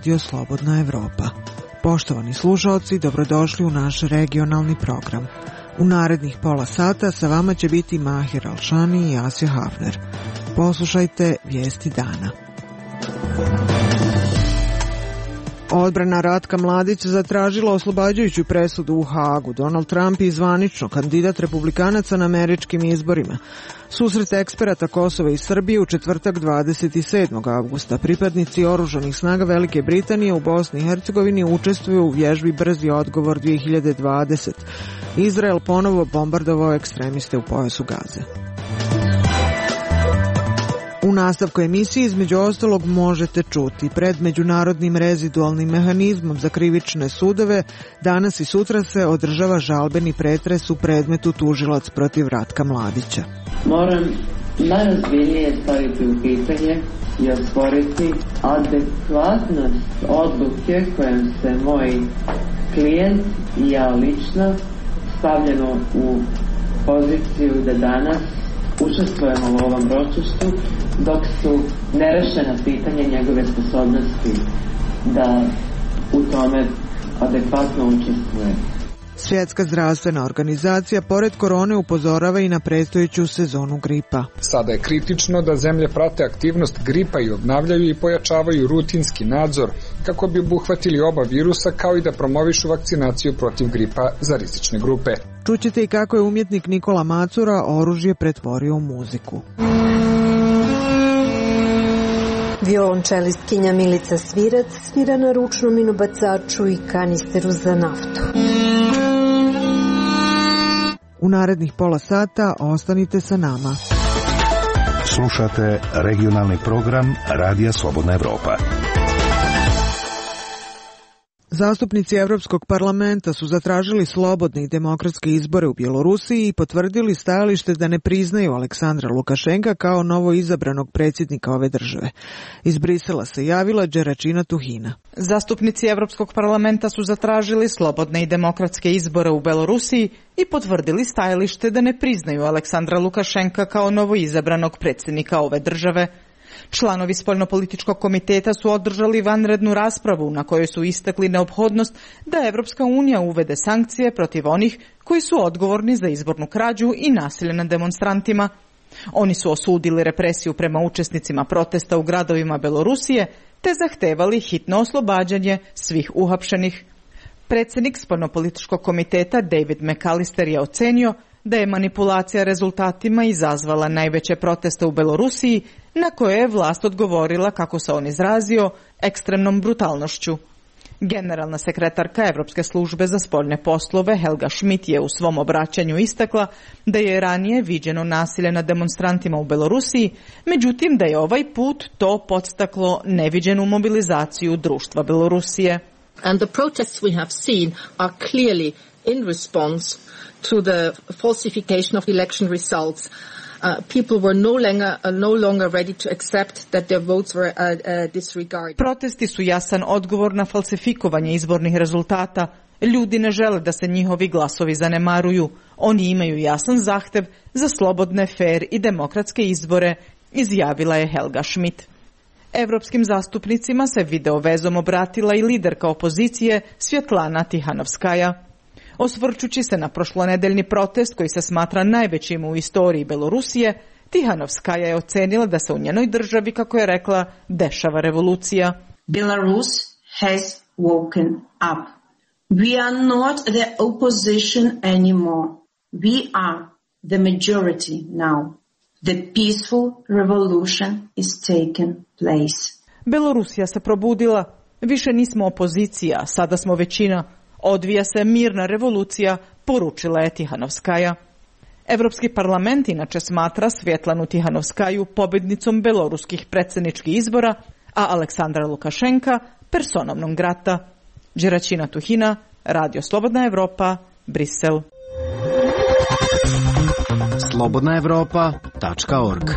Radio Slobodna Evropa. Poštovani slušaoci, dobrodošli u naš regionalni program. U narednih pola sata sa vama će biti Mahir Alšani i Asio Hafner. Poslušajte vijesti dana. Odbrana Ratka Mladića zatražila oslobađajuću presudu u Hagu. Donald Trump je zvanično kandidat republikanaca na američkim izborima. Susret eksperata Kosova i Srbije u četvrtak 27. avgusta. Pripadnici oružanih snaga Velike Britanije u Bosni i Hercegovini učestvuju u vježbi Brzi odgovor 2020. Izrael ponovo bombardovao ekstremiste u pojasu Gaze. U nastavku emisije između ostalog možete čuti: pred međunarodnim rezidualnim mehanizmom za krivične sudove danas i sutra se održava žalbeni pretres u predmetu tužilac protiv Ratka Mladića. Moram najozbiljnije staviti u pitanje i osporiti adekvatnost odluke kojom se moj klijent i ja lično stavljeno u poziciju da danas učestvujemo u ovom ročištu dok su nerešena pitanja njegove sposobnosti da u tome adekvatno učestvuje. Svjetska zdravstvena organizacija pored korone upozorava i na predstojeću sezonu gripa. Sada je kritično da zemlje prate aktivnost gripa i obnavljaju i pojačavaju rutinski nadzor kako bi obuhvatili oba virusa, kao i da promovišu vakcinaciju protiv gripa za rizične grupe. Čućete i kako je umjetnik Nikola Macura oružje pretvorio u muziku. Violončelistkinja Milica Svirac svira na ručnom minobacaču i kanisteru za naftu. U narednih pola sata ostanite sa nama. Slušate regionalni program Radija Slobodna Evropa. Zastupnici Evropskog parlamenta su zatražili slobodne i demokratske izbore u Bjelorusiji i potvrdili stajalište da ne priznaju Aleksandra Lukašenka kao novo izabranog predsjednika ove države. Iz Brisela se javila Đeračina Tuhina. Zastupnici Evropskog parlamenta su zatražili slobodne i demokratske izbore u Belorusiji i potvrdili stajalište da ne priznaju Aleksandra Lukašenka kao novo izabranog predsjednika ove države. Članovi spoljnopolitičkog komiteta su održali vanrednu raspravu na kojoj su istakli neophodnost da Evropska unija uvede sankcije protiv onih koji su odgovorni za izbornu krađu i nasilje nad demonstrantima. Oni su osudili represiju prema učesnicima protesta u gradovima Belorusije te zahtevali hitno oslobađanje svih uhapšenih. Predsjednik spoljnopolitičkog komiteta David McAllister je ocenio da je manipulacija rezultatima izazvala najveće proteste u Belorusiji, na koje je vlast odgovorila, kako se on izrazio, ekstremnom brutalnošću. Generalna sekretarka Evropske službe za spoljne poslove Helga Schmidt je u svom obraćanju istakla da je ranije viđeno nasilje nad demonstrantima u Belorusiji, međutim da je ovaj put to podstaklo neviđenu mobilizaciju društva Belorusije. And the protests we have seen are clearly in response to the falsification of election results. People were no longer ready to accept that their votes were disregarded. Protesti su jasan odgovor na falsifikovanje izbornih rezultata. Ljudi ne žele da se njihovi glasovi zanemaruju. Oni imaju jasan zahtev za slobodne, fer i demokratske izbore, izjavila je Helga Schmidt. Evropskim zastupnicima se video vezom obratila i liderka opozicije Svjetlana Tihanovskaja. Osvrćući se na prošlonedeljni protest koji se smatra najvećim u istoriji Belorusije, Tihanovskaja je ocenila da se u njenoj državi, kako je rekla, dešava revolucija. Belarus has woken up. We are not the opposition anymore. We are the majority now. The peaceful revolution is taken place. Belorusija se probudila. Više nismo opozicija, sada smo većina. Odvija se mirna revolucija, poručila je Tihanovskaja. Evropski parlament inače smatra Svjetlanu Tihanovskaju pobjednicom beloruskih predsjedničkih izbora, a Aleksandra Lukašenka personom non grata. Đeračina Tuhina, Radio Slobodna Evropa, Brisel. slobodnaevropa.org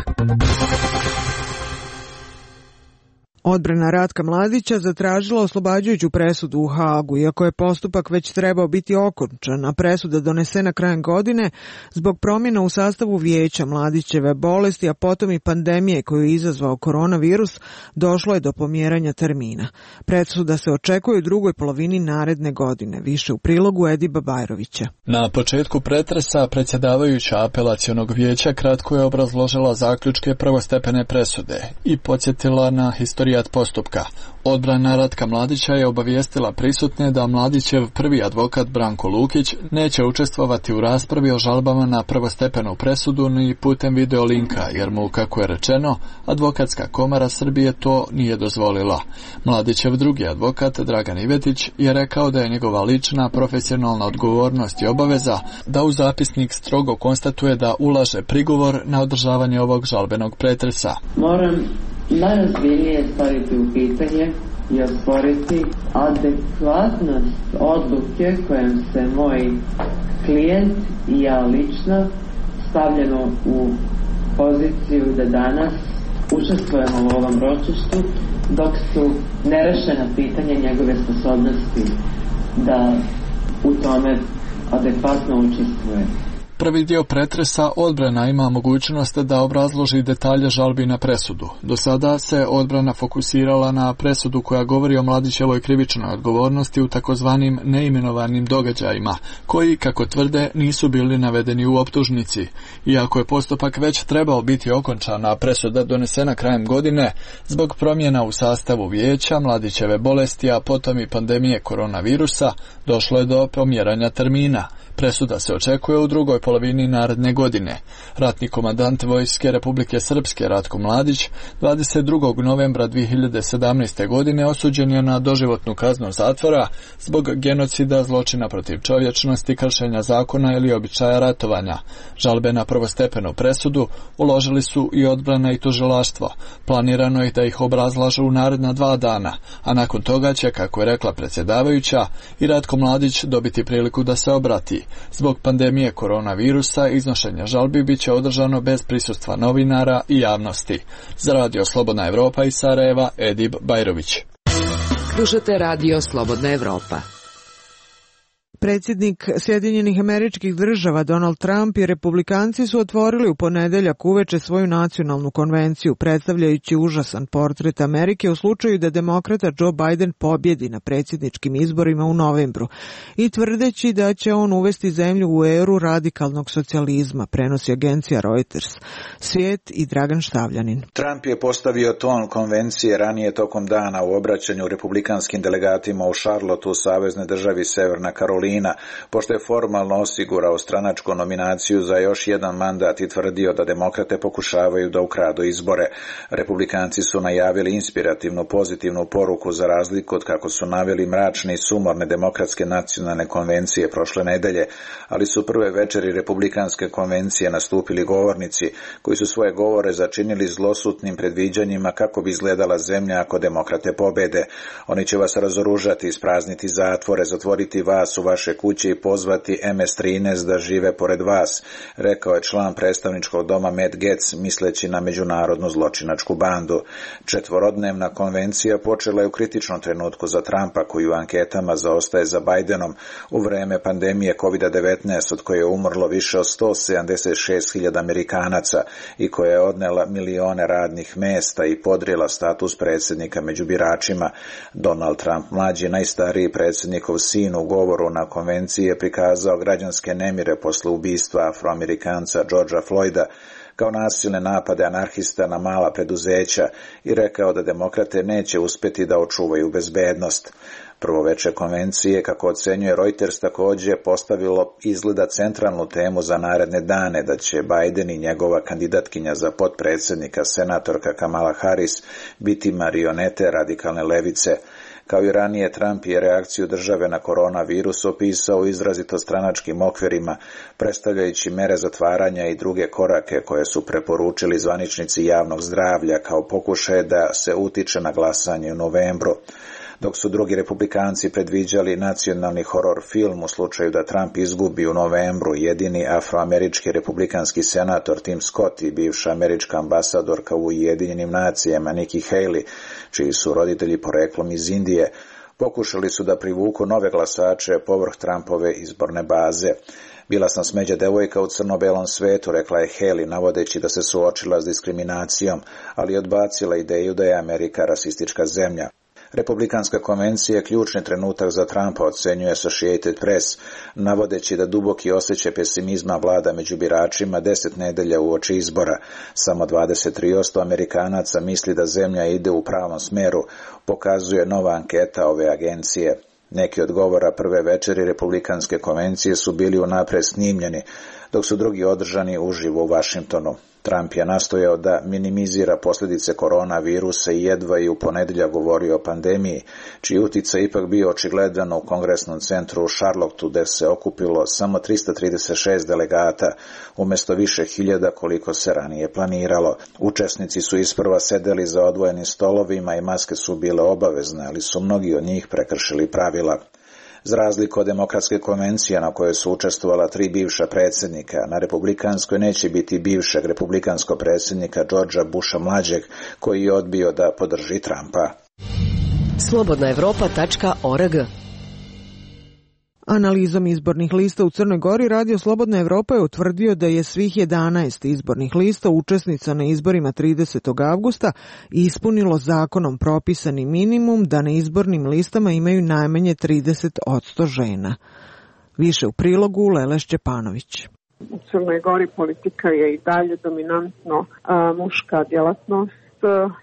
Odbrana Ratka Mladića zatražila oslobađajuću presudu u Hagu, iako je postupak već trebao biti okončan, a presuda donesena krajem godine zbog promjena u sastavu vijeća, Mladićeve bolesti, a potom i pandemije koju je izazvao koronavirus, došlo je do pomjeranja termina. Presuda se očekuje u drugoj polovini naredne godine, više u prilogu Ediba Bajrovića. Na početku pretresa predsjedavajuća apelacionog vijeća kratko je obrazložila zaključke prvostepene presude i podsjetila na historijat postupka. Odbrana Ratka Mladića je obavijestila prisutne da Mladićev prvi advokat Branko Lukić neće učestvovati u raspravi o žalbama na prvostepenu presudu ni putem video linka, jer mu, kako je rečeno, Advokatska komora Srbije to nije dozvolila. Mladićev drugi advokat Dragan Ivetić je rekao da je njegova lična profesionalna odgovornost i obaveza da u zapisnik strogo konstatuje da ulaže prigovor na održavanje ovog žalbenog pretresa. Moram najozbiljnije staviti u pitanje i osporiti adekvatnost odluke kojom se moj klijent i ja lično stavljamo u poziciju da danas učestvujemo u ovom ročištu dok su nerešena pitanja njegove sposobnosti da u tome adekvatno učestvuje. Prvi dio pretresa odbrana ima mogućnost da obrazloži detalje žalbi na presudu. Do sada se odbrana fokusirala na presudu koja govori o Mladićevoj krivičnoj odgovornosti u takozvanim neimenovanim događajima, koji, kako tvrde, nisu bili navedeni u optužnici. Iako je postupak već trebao biti okončan, a presuda donesena krajem godine, zbog promjena u sastavu vijeća, Mladićeve bolesti, a potom i pandemije koronavirusa, došlo je do pomjeranja termina. Presuda se očekuje u drugoj polovini naredne godine. Ratni komandant Vojske Republike Srpske Ratko Mladić 22. novembra 2017. godine osuđen je na doživotnu kaznu zatvora zbog genocida, zločina protiv čovječnosti, kršenja zakona ili običaja ratovanja. Žalbe na prvostepenu presudu uložili su i odbrana i tužilaštvo. Planirano je da ih obrazlažu u naredna 2 dana, a nakon toga će, kako je rekla predsjedavajuća, i Ratko Mladić dobiti priliku da se obrati. Zbog pandemije koronavirusa iznošenje žalbi bit će održano bez prisustva novinara i javnosti. Za Radio Slobodna Evropa iz Sarajeva, Edib Bajrović. Slušate Radio Slobodna Evropa. Predsjednik Sjedinjenih Američkih Država Donald Trump i republikanci su otvorili u ponedeljak uveče svoju nacionalnu konvenciju, predstavljajući užasan portret Amerike u slučaju da demokrata Joe Biden pobjedi na predsjedničkim izborima u novembru i tvrdeći da će on uvesti zemlju u eru radikalnog socijalizma, prenosi agencija Reuters. Svijet i Dragan Štavljanin. Trump je postavio ton konvencije ranije tokom dana u obraćanju republikanskim delegatima u Charlotteu, saveznoj državi Severna Karolina, pošto je formalno osigurao stranačku nominaciju za još jedan mandat i tvrdio da demokrate pokušavaju da ukradu izbore. Republikanci su najavili inspirativnu pozitivnu poruku za razliku od kako su naveli mračne i sumorne demokratske nacionalne konvencije prošle nedelje, ali su prve večeri republikanske konvencije nastupili govornici koji su svoje govore začinili zlosutnim predviđanjima kako bi izgledala zemlja ako demokrate pobede. Oni će vas razoružati, isprazniti zatvore, zatvoriti vas u vaše kuće i pozvati MS-13 da žive pored vas, rekao je član predstavničkog doma Matt Gaetz, misleći na međunarodnu zločinačku bandu. 4-dnevna konvencija počela je u kritičnom trenutku za Trumpa, koji u anketama zaostaje za Bidenom u vreme pandemije COVID-19, od koje je umrlo više od 176.000 Amerikanaca i koja je odnela milione radnih mesta i podrijela status predsjednika među biračima. Donald Trump mlađi, najstariji predsjednikov sin, u govoru na konvenciji je prikazao građanske nemire posle ubistva Afroamerikanca Georgea Floyda kao nasilne napade anarhista na mala preduzeća i rekao da demokrate neće uspjeti da očuvaju bezbednost. Prvo veče konvencije, kako ocenjuje Reuters, također postavilo izgleda centralnu temu za naredne dane, da će Biden i njegova kandidatkinja za potpredsjednika, senatorka Kamala Harris, biti marionete radikalne levice. Kao i ranije, Trump je reakciju države na koronavirus opisao u izrazito stranačkim okvirima, predstavljajući mere zatvaranja i druge korake koje su preporučili zvaničnici javnog zdravlja kao pokušaje da se utiče na glasanje u novembru. dok su drugi republikanci predviđali nacionalni horor film u slučaju da Trump izgubi u novembru. Jedini afroamerički republikanski senator Tim Scott i bivša američka ambasadorka u Ujedinjenim nacijama Nikki Haley, čiji su roditelji poreklom iz Indije, pokušali su da privuku nove glasače povrh Trumpove izborne baze. Bila sam smeđa devojka u crno-belom svetu, rekla je Haley, navodeći da se suočila s diskriminacijom, ali odbacila ideju da je Amerika rasistička zemlja. Republikanska konvencija je ključni trenutak za Trumpa, ocenjuje Associated Press, navodeći da duboki osjećaj pesimizma vlada među biračima 10 nedelja uoči izbora. Samo 23% Amerikanaca misli da zemlja ide u pravom smeru, pokazuje nova anketa ove agencije. Neki od govora prve večeri Republikanske konvencije su bili unapred snimljeni, dok su drugi održani uživo u Vašingtonu. Trump je nastojao da minimizira posljedice koronavirusa i jedva i u ponedjeljak govorio o pandemiji, čiji uticaj ipak bio očigledan u kongresnom centru u Charlotteu, gde se okupilo samo 336 delegata, umjesto više hiljada koliko se ranije planiralo. Učesnici su isprva sedeli za odvojenim stolovima i maske su bile obavezne, ali su mnogi od njih prekršili pravila. Za razliku od demokratske konvencije na kojoj su učestvovala 3 bivša predsjednika, na republikanskoj neće biti bivšeg republikanskog predsjednika Georgea Busha mlađeg, koji je odbio da podrži Trumpa. slobodnaevropa.org. Analizom izbornih lista u Crnoj Gori Radio Slobodna Evropa je utvrdio da je svih 11 izbornih lista učesnica na izborima 30. avgusta ispunilo zakonom propisani minimum da na izbornim listama imaju najmanje 30% žena. Više u prilogu Lele Šćepanović. U Crnoj Gori politika je i dalje dominantno muška djelatnost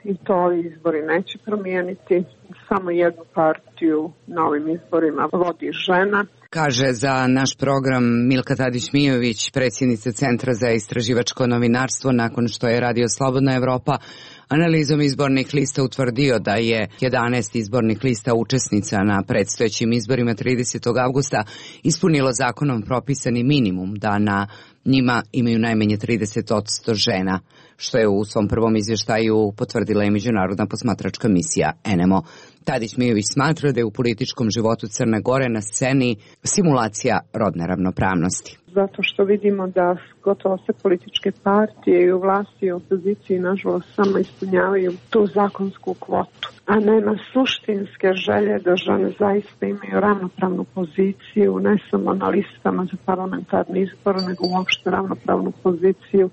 i to izbori neće promijeniti. Samo jednu partiju na ovim izborima vodi žena. Kaže za naš program Milka Tadić-Mijović, predsjednica Centra za istraživačko novinarstvo, nakon što je Radio Slobodna Evropa analizom izbornih lista utvrdio da je 11 izbornih lista učesnica na predstojećim izborima 30. avgusta ispunilo zakonom propisani minimum da na njima imaju najmanje 30% žena, što je u svom prvom izvještaju potvrdila i međunarodna posmatračka misija NMO. Tadić-Mijović smatra da je u političkom životu Crne Gore na sceni simulacija rodne ravnopravnosti. Zato što vidimo da gotovo sve političke partije i u vlasti i u opoziciji nažalost samo ispunjavaju tu zakonsku kvotu, a nema suštinske želje da žene zaista imaju ravnopravnu poziciju, ne samo na listama za parlamentarni izbor, nego uopšte ravnopravnu poziciju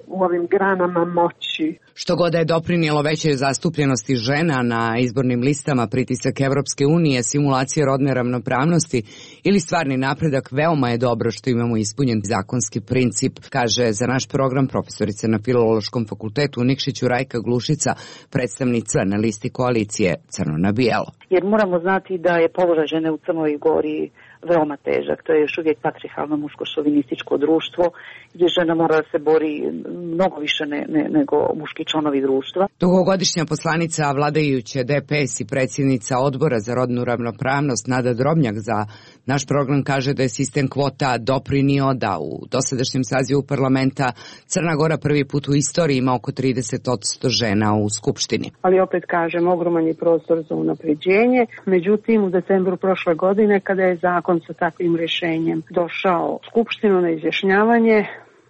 u ovim granama moći. Što god da je doprinijelo većoj zastupljenosti žena na izbornim listama, pritisak Evropske unije, simulacija rodne ravnopravnosti ili stvarni napredak, veoma je dobro što imamo ispunjen zakonski princip, kaže za naš program profesorica na Filološkom fakultetu u Nikšiću Rajka Glušica, predstavnica na listi koalicije Crno na bijelo. Jer moramo znati da je položaj žene u Crnoj Gori veoma težak. To je još uvijek patrijarhalno muško-šovinističko društvo gdje žena mora da se bori mnogo više nego muški članovi društva. Dugogodišnja poslanica vladajuće DPS i predsjednica odbora za rodnu ravnopravnost Nada Drobnjak za naš program kaže da je sistem kvota doprinio da u dosadašnjem sazivu parlamenta Crna Gora prvi put u istoriji ima oko 30% žena u Skupštini. Ali opet kažem, ogroman je prostor za unapređenje. Međutim, u decembru prošle godine, kada je zakon sa takvim rješenjem došao u Skupštinu na izjašnjavanje,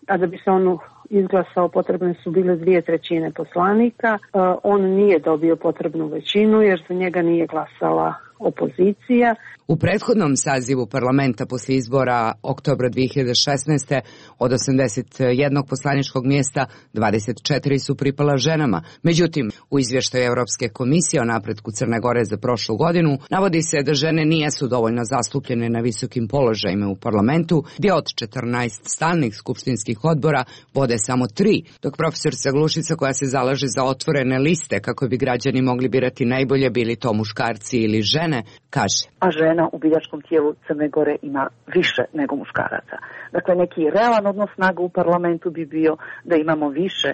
a da bi se on izglasao potrebne su bile 2/3 poslanika, on nije dobio potrebnu većinu jer za njega nije glasala opozicija. U prethodnom sazivu parlamenta posle izbora oktobra 2016. od 81 poslaničkog mjesta 24 su pripala ženama. Međutim, u izvještaju Europske komisije o napretku Crne Gore za prošlu godinu navodi se da žene nijesu dovoljno zastupljene na visokim položajima u parlamentu, gdje od 14 stalnih skupštinskih odbora vode samo 3, dok profesorica Glušica, koja se zalaže za otvorene liste kako bi građani mogli birati najbolje, bili to muškarci ili žene, kaže. A žena u biračkom tijelu Crne Gore ima više nego muškaraca. Dakle, neki realan odnos snaga u parlamentu bi bio da imamo više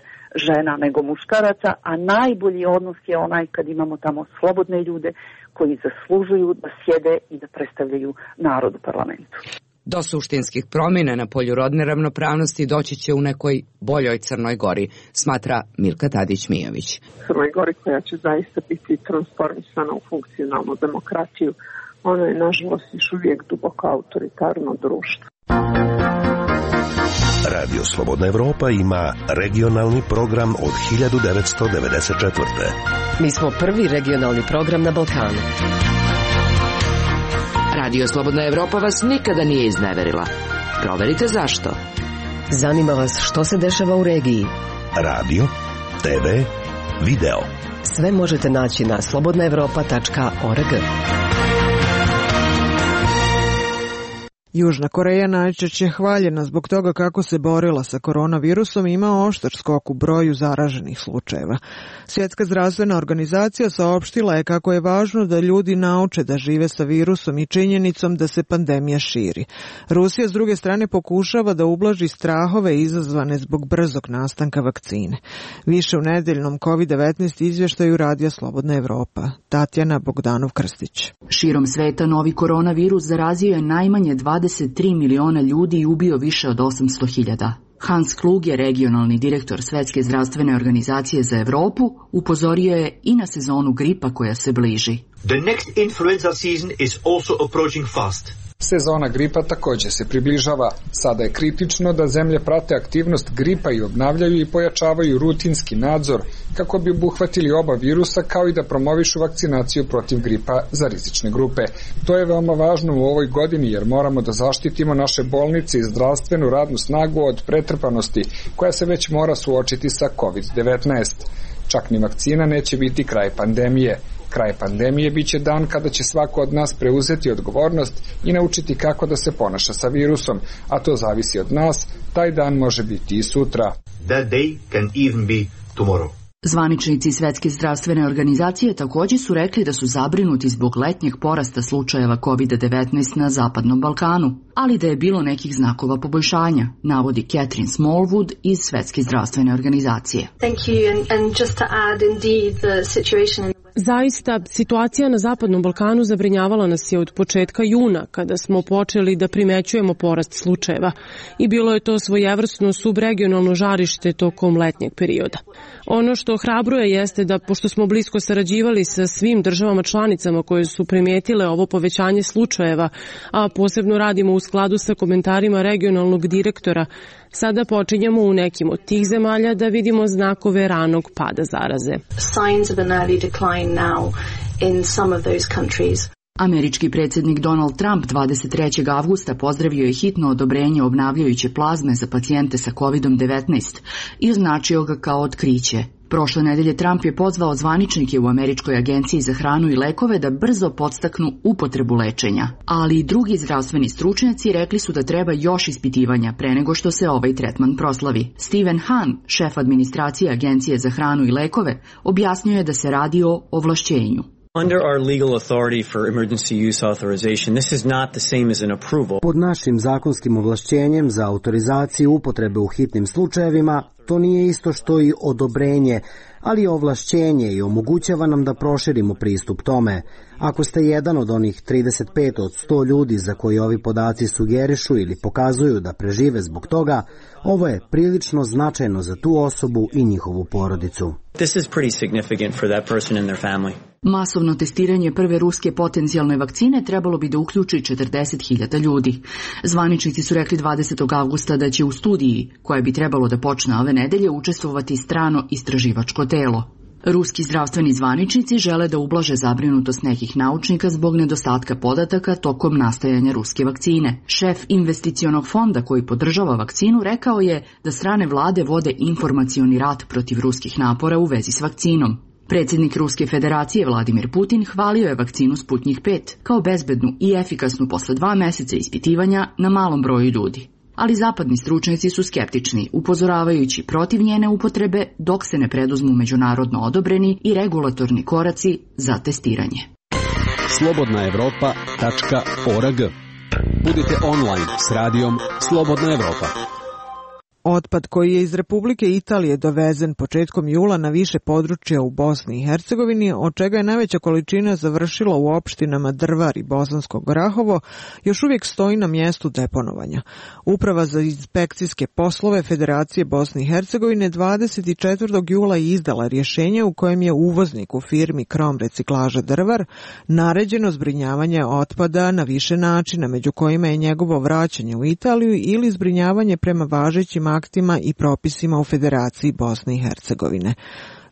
žena nego muškaraca, a najbolji odnos je onaj kad imamo tamo slobodne ljude koji zaslužuju da sjede i da predstavljaju narod u parlamentu. Do suštinskih promjena na polju rodne ravnopravnosti doći će u nekoj boljoj Crnoj Gori, smatra Milka Tadić-Mijović. Crnoj Gori koja će zaista biti transformisana u funkcionalnu demokratiju. Ono je, nažalost, još uvijek duboko autoritarno društvo. Radio Slobodna Evropa ima regionalni program od 1994. Mi smo prvi regionalni program na Balkanu. Radio Slobodna Evropa vas nikada nije izneverila. Proverite zašto. Zanima vas što se dešava u regiji. Radio, TV, video. Sve možete naći na slobodnaevropa.org. Južna Koreja najčešće je hvaljena zbog toga kako se borila sa koronavirusom i ima oštar skok u broju zaraženih slučajeva. Svjetska zdravstvena organizacija saopštila je kako je važno da ljudi nauče da žive sa virusom i činjenicom da se pandemija širi. Rusija s druge strane pokušava da ublaži strahove izazvane zbog brzog nastanka vakcine. Više u nedeljnom COVID-19 izvještaju Radija Slobodna Evropa. Tatjana Bogdanov-Krstić. Širom sveta novi koronavirus zarazio je najmanje 23 miliona ljudi i ubio više od 800.000. Hans Kluge, regionalni direktor Svetske zdravstvene organizacije za Evropu, upozorio je i na sezonu gripa koja se bliži. The next influenza season is also approaching fast. Sezona gripa također se približava. Sada je kritično da zemlje prate aktivnost gripa i obnavljaju i pojačavaju rutinski nadzor kako bi obuhvatili oba virusa, kao i da promovišu vakcinaciju protiv gripa za rizične grupe. To je veoma važno u ovoj godini jer moramo da zaštitimo naše bolnice i zdravstvenu radnu snagu od pretrpanosti koja se već mora suočiti sa COVID-19. Čak ni vakcina neće biti kraj pandemije. Kraj pandemije biće dan kada će svako od nas preuzeti odgovornost i naučiti kako da se ponaša sa virusom, a to zavisi od nas. Taj dan može biti i sutra. That day can even be tomorrow. Zvaničnici Svetske zdravstvene organizacije također su rekli da su zabrinuti zbog letnjeg porasta slučajeva COVID-19 na Zapadnom Balkanu, ali da je bilo nekih znakova poboljšanja, navodi Catherine Smallwood iz Svetske zdravstvene organizacije. Thank you, and just to add, indeed, the situation in... Zaista, situacija na Zapadnom Balkanu zabrinjavala nas je od početka juna, kada smo počeli da primećujemo porast slučajeva i bilo je to svojevrsno subregionalno žarište tokom letnjeg perioda. Ono što ohrabruje jeste da, pošto smo blisko sarađivali sa svim državama članicama koje su primijetile ovo povećanje slučajeva, a posebno radimo u skladu sa komentarima regionalnog direktora, sada počinjemo u nekim od tih zemalja da vidimo znakove ranog pada zaraze. Signs of an early decline now in some of those countries. Američki predsjednik Donald Trump 23. avgusta pozdravio je hitno odobrenje obnavljajuće plazme za pacijente sa COVID-19 i označio ga kao otkriće. Prošle nedelje Trump je pozvao zvaničnike u Američkoj agenciji za hranu i lekove da brzo podstaknu upotrebu lečenja, ali i drugi zdravstveni stručnjaci rekli su da treba još ispitivanja pre nego što se ovaj tretman proslavi. Stephen Hahn, šef administracije Agencije za hranu i lekove, objasnio je da se radi o ovlašćenju. Under our legal authority for emergency use authorization, this is not the same as an approval. Pod našim zakonskim ovlašćenjem za autorizaciju upotrebe u hitnim slučajevima, to nije isto što i odobrenje, ali je ovlašćenje i omogućava nam da proširimo pristup tome. Ako ste jedan od onih 35 od 100 ljudi za koji ovi podaci sugerišu ili pokazuju da prežive zbog toga, ovo je prilično značajno za tu osobu i njihovu porodicu. This is pretty significant for that person and their family. Masovno testiranje prve ruske potencijalne vakcine trebalo bi da uključi 40.000 ljudi. Zvaničnici su rekli 20. avgusta da će u studiji, koja bi trebalo da počne ove nedelje, učestvovati strano istraživačko telo. Ruski zdravstveni zvaničnici žele da ublaže zabrinutost nekih naučnika zbog nedostatka podataka tokom nastajanja ruske vakcine. Šef investicionog fonda koji podržava vakcinu rekao je da strane vlade vode informacioni rat protiv ruskih napora u vezi s vakcinom. Predsjednik Ruske federacije Vladimir Putin hvalio je vakcinu Sputnik 5 kao bezbednu i efikasnu posle 2 meseca ispitivanja na malom broju ljudi. Ali zapadni stručnjaci su skeptični, upozoravajući protiv njene upotrebe dok se ne preduzmu međunarodno odobreni i regulatorni koraci za testiranje. slobodnaevropa.org. Budite online s radijom Slobodna Evropa. Otpad koji je iz Republike Italije dovezen početkom jula na više područja u Bosni i Hercegovini, od čega je najveća količina završila u opštinama Drvar i Bosansko Grahovo, još uvijek stoji na mjestu deponovanja. Uprava za inspekcijske poslove Federacije Bosne i Hercegovine 24. jula je izdala rješenje u kojem je uvozniku firmi Krom reciklaža Drvar naređeno zbrinjavanje otpada na više načina, među kojima je njegovo vraćanje u Italiju ili zbrinjavanje prema važećim aktima i propisima u Federaciji Bosne i Hercegovine.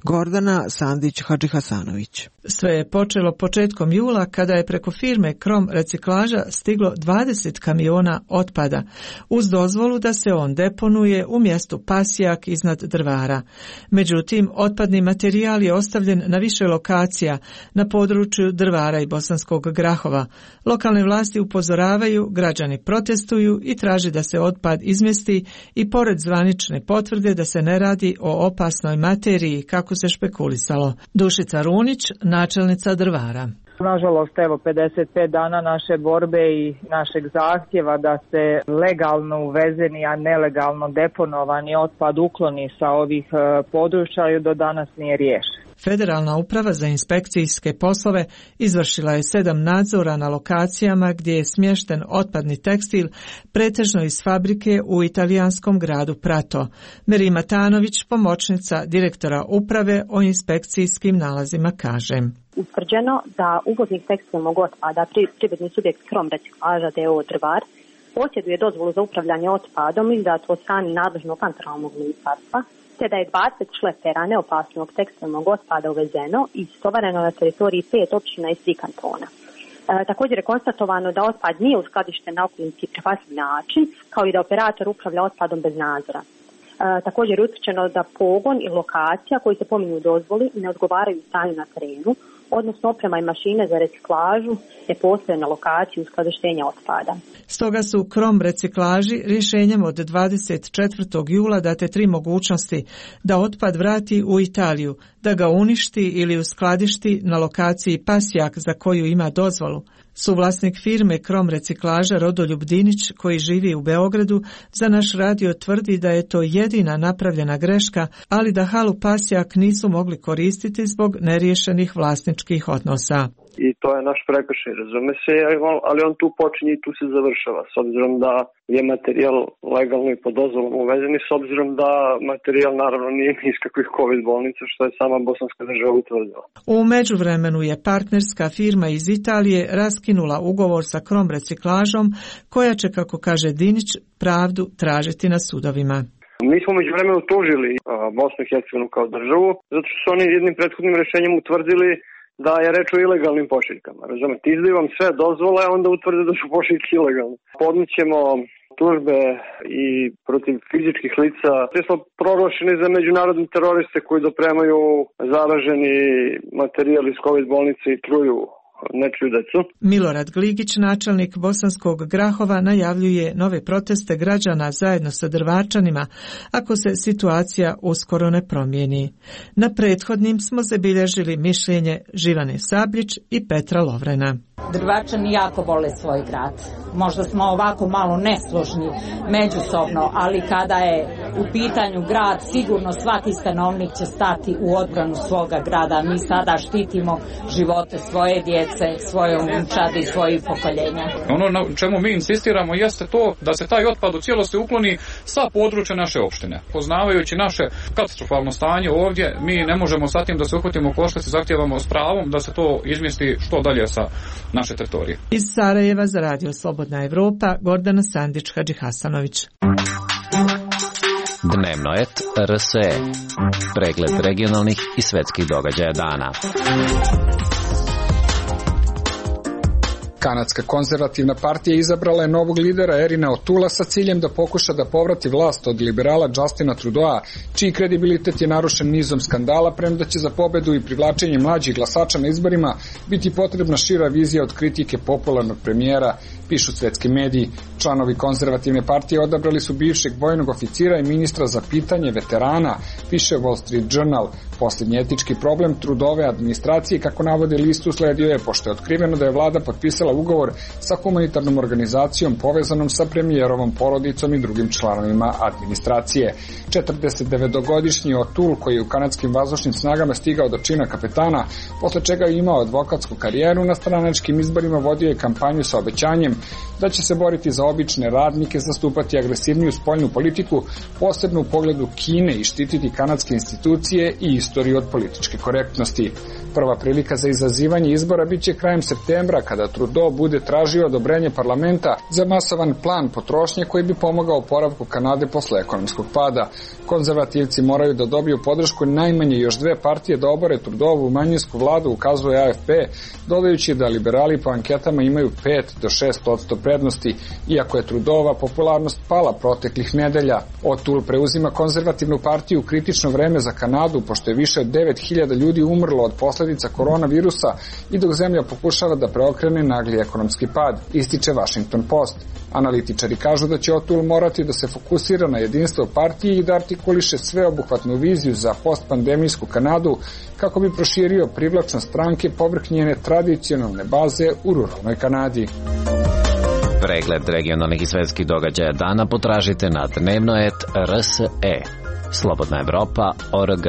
Gordana Sandić-Hadžihasanović. Sve je počelo početkom jula kada je preko firme Krom reciklaža stiglo 20 kamiona otpada uz dozvolu da se on deponuje u mjestu Pasjak iznad Drvara. Međutim, otpadni materijal je ostavljen na više lokacija na području Drvara i Bosanskog Grahova. Lokalne vlasti upozoravaju, građani protestuju i traže da se otpad izmjesti i pored zvanične potvrde da se ne radi o opasnoj materiji kako se špekulisalo. Dušica Runić, načelnica Drvara. Nažalost, evo 55 dana naše borbe i našeg zahtjeva da se legalno uvezeni, a nelegalno deponovani otpad ukloni sa ovih područja do danas nije riješen. Federalna uprava za inspekcijske poslove izvršila je 7 nadzora na lokacijama gdje je smješten otpadni tekstil, pretežno iz fabrike u italijanskom gradu Prato. Merima Tanović, pomoćnica direktora uprave o inspekcijskim nalazima, kaže. Utvrđeno da uvoznik tekstilnog otpada, privredni subjekt Krom reciklaža d.o.o. Drvar, posjeduje dozvolu za upravljanje otpadom izdatu od strane nadležnog kantonalnog ministarstva, te da je 20 šlepera neopasnog tekstilnog otpada uvezeno i istovareno na teritoriji 5 općina i 3 kantona. Također je konstatovano da otpad nije uskladišten na okolinski prihvatljiv način, kao i da operator upravlja otpadom bez nadzora. Također je utvrđeno da pogon i lokacija koji se pominju u dozvoli ne odgovaraju stanju na terenu, odnosno oprema i mašine za reciklažu ne postoje na lokaciji uskladištenja otpada. Stoga su Krom reciklaži rješenjem od 24. jula date 3 mogućnosti da otpad vrati u Italiju, da ga uništi ili uskladišti na lokaciji Pasjak za koju ima dozvolu. Suvlasnik firme Krom reciklaža Rodoljub Dinić, koji živi u Beogradu, za naš radio tvrdi da je to jedina napravljena greška, ali da halu Pasjak nisu mogli koristiti zbog neriješenih vlasničkih odnosa. I to je naš prekršaj, razume se, ali on tu počinje i tu se završava, s obzirom da je materijal legalno i pod dozvolom uvezen i s obzirom da materijal naravno nije iz kakvih COVID bolnica, što je sama bosanska država utvrdila. U međuvremenu je partnerska firma iz Italije raskinula ugovor sa Krom reciklažom, koja će, kako kaže Dinić, pravdu tražiti na sudovima. Mi smo međuvremenu tužili Bosnu i Hercegovinu kao državu, zato što su oni jednim prethodnim rješenjem utvrdili da je reč o ilegalnim pošiljkama. Razumete, izdaju vam sve dozvole, a onda utvrde da su pošiljke ilegalne. Podnićemo tužbe i protiv fizičkih lica. Te smo proglašeni za međunarodne teroriste koji dopremaju zaraženi materijal iz COVID bolnice i truju nečiju decu. Milorad Gligić, načelnik Bosanskog Grahova, najavljuje nove proteste građana zajedno sa Drvarčanima ako se situacija uskoro ne promijeni. Na prethodnim smo zabilježili mišljenje Živane Sabljić i Petra Lovrena. Drvarčani jako vole svoj grad. Možda smo ovako malo nesložni međusobno, ali kada je u pitanju grad, sigurno svaki stanovnik će stati u odbranu svoga grada. Mi sada štitimo živote svoje djece, svoje unučadi i svojih pokoljenja. Ono na čemu mi insistiramo jeste to da se taj otpad u cijelosti ukloni sa područja naše opštine. Poznavajući naše katastrofalno stanje ovdje, mi ne možemo sa tim da se uhvatimo koštac i zahtijevamo s pravom da se to izmjesti što dalje sa naše teritorije. Iz Sarajeva za Radio Slobodna Evropa, Gordana Sandić-Hadžihasanović. Dnevno et RSE. Pregled regionalnih i svetskih događaja dana. Kanadska konzervativna partija izabrala je novog lidera Erina Otula sa ciljem da pokuša da povrati vlast od liberala Justina Trudeau, čiji kredibilitet je narušen nizom skandala, premda će za pobedu i privlačenje mlađih glasača na izborima biti potrebna šira vizija od kritike popularnog premijera pišu svetski mediji. Članovi konzervativne partije odabrali su bivšeg vojnog oficira i ministra za pitanje veterana, piše Wall Street Journal. Posljednji etički problem Trudove administracije, kako navode list, usledio je pošto je otkriveno da je vlada potpisala ugovor sa humanitarnom organizacijom povezanom sa premijerovom porodicom i drugim članovima administracije. 49-godišnji O'Toole, koji je u kanadskim vazdušnim snagama stigao do čina kapetana, posle čega je imao advokatsku karijeru, na stranačkim izborima vodio je kampanju sa obećanjem da će se boriti za obične radnike, zastupati agresivniju spoljnu politiku, posebno u pogledu Kine, i štititi kanadske institucije i istoriju od političke korektnosti. Prva prilika za izazivanje izbora biće krajem septembra, kada Trudeau bude tražio odobrenje parlamenta za masovan plan potrošnje koji bi pomogao oporavku Kanade posle ekonomskog pada. Konzervativci moraju da dobiju podršku najmanje još dve partije da obore Trudeauvu manjinsku vladu, ukazuje AFP, dodajući da liberali po anketama imaju 5 do 6% prednosti, iako je Trudeauva popularnost pala proteklih nedelja. O'Toole preuzima konzervativnu partiju u kritično vreme za Kanadu, pošto je više od 9.000 ljudi umrlo od posledica koronavirusa i dok zemlja pokušava da preokrene nagli ekonomski pad, ističe Washington Post. Analitičari kažu da će O'Toole morati da se fokusira na jedinstvo partije i da artikuliše sveobuhvatnu viziju za postpandemijsku Kanadu kako bi proširio privlačnost stranke povrh njene tradicionalne baze u ruralnoj Kanadi. Pregled regionalnih i svetskih događaja dana potražite na dnevnoet.rse. Slobodna Evropa.org.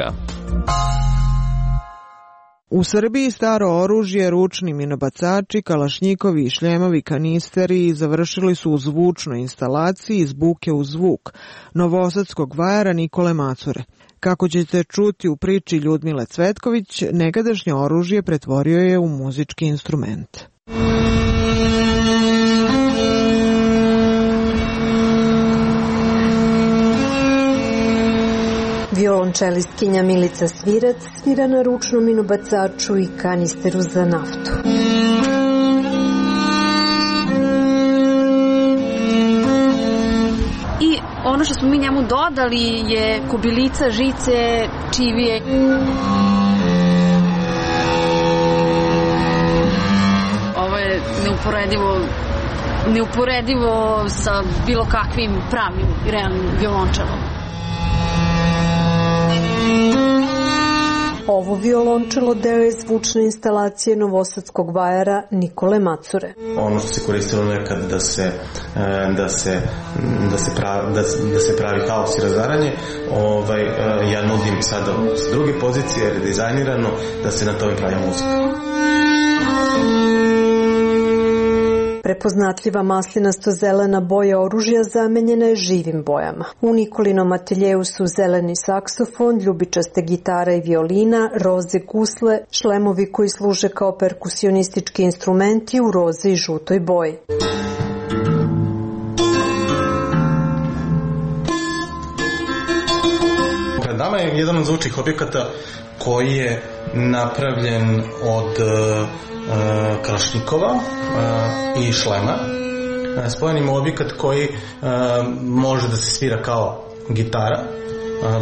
U Srbiji staro oružje, ručni minobacači, kalašnjikovi i šljemovi kanisteri završili su u zvučnoj instalaciji iz buke u zvuk novosadskog vajara Nikole Macure. Kako ćete čuti u priči Ljudmile Cvetković, nekadašnje oružje pretvorio je u muzički instrument. Violončelistkinja Milica Svirac svira na ručnom minobacaču i kanisteru za naftu. I ono što smo mi njemu dodali je kubilica, žice, čivije. Ovo je neuporedivo sa bilo kakvim pravim i realnim violončelom. Ovo violončelo deo je zvučne instalacije novosadskog vajara Nikole Macure. Ono što se koristilo nekad da se pravi haos i razaranje, ja nudim sada s druge pozicije, jer je dizajnirano da se na tome pravi muzika. Prepoznatljiva maslinasto-zelena boja oružja zamenjena je živim bojama. U Nikolinom ateljeu su zeleni saksofon, ljubičaste gitara i violina, roze gusle, šlemovi koji služe kao perkusionistički instrumenti u roze i žutoj boji. Pred nama je jedan od zvučnih objekata koji je napravljen od kalašnjikova i šlema. Spojen ima objekat koji može da se svira kao gitara.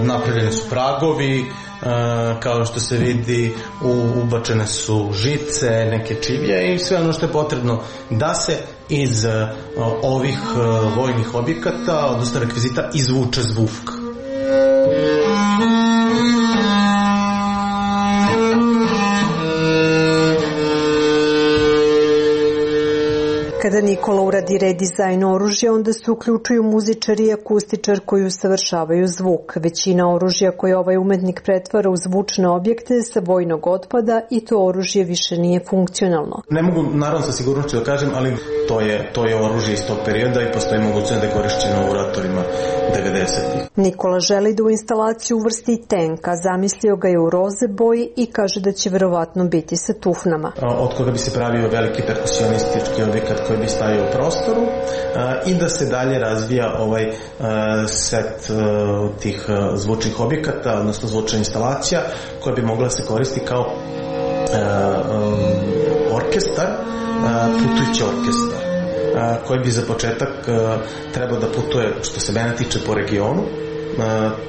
Napravljeni su pragovi, kao što se vidi ubačene su žice, neke čivije i sve ono što je potrebno da se iz ovih vojnih objekata, odnosno rekvizita, izvuče zvuk. Kada Nikola uradi redizajn oružja, onda se uključuju muzičar i akustičar koji usavršavaju zvuk. Većina oružja koje ovaj umetnik pretvara u zvučne objekte sa vojnog otpada i to oružje više nije funkcionalno. Ne mogu naravno sa sigurnošću da kažem, ali to je oružje iz tog perioda i postoji mogućnost da je korišćeno u ratovima 90-ih. Nikola želi da u instalaciju uvrsti i tenka, zamislio ga je u roze boji i kaže da će verovatno biti sa tufnama. Od koga bi se pravio veliki perkusionistički objekat koji bi stajao u prostoru i da se dalje razvija ovaj set tih zvučnih objekata, odnosno zvučna instalacija koja bi mogla se koristiti kao orkestar, putujući orkestar koji bi za početak trebao da putuje, što se mene tiče, po regionu,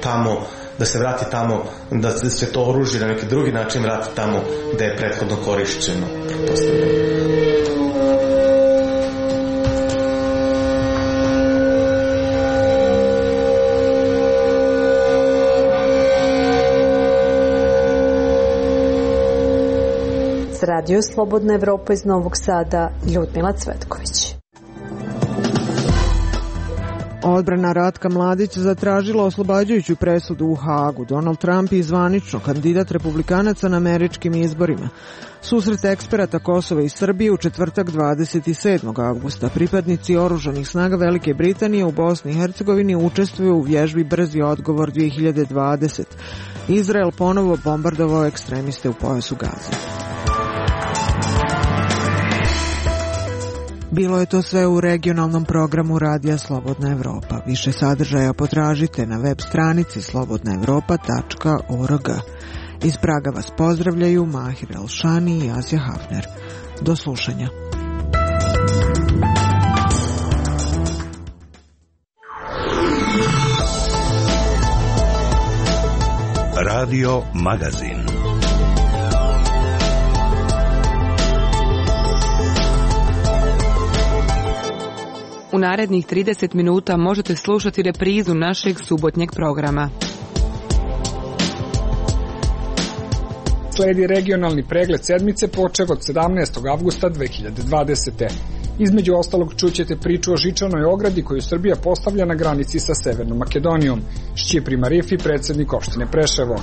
tamo da se vrati tamo, da se to oružje na neki drugi način vrati tamo gde je prethodno korišćeno. Radio Slobodna Evropa iz Novog Sada, Ljudmila Cvetković. Odbrana Ratka Mladić zatražila oslobađajuću presudu u Hagu. Donald Trump je zvanično kandidat republikanaca na američkim izborima. Susret eksperata Kosova i Srbije u četvrtak 27. avgusta. Pripadnici oružanih snaga Velike Britanije u Bosni i Hercegovini učestvuju u vježbi Brzi odgovor 2020. Izrael ponovo bombardovao ekstremiste u pojasu Gaze. Bilo je to sve u regionalnom programu Radija Slobodna Evropa. Više sadržaja potražite na web stranici slobodnaevropa.org. Iz Praga vas pozdravljaju Mahir Elšani i Azija Hafner. Do slušanja. Radio Magazin. U narednih 30 minuta možete slušati reprizu našeg subotnjeg programa. Sledi regionalni pregled sedmice počev od 17. avgusta 2020. Između ostalog čućete priču o žičanoj ogradi koju Srbija postavlja na granici sa Severnom Makedonijom. Šćipri Marifi, predsjednik opštine Preševo.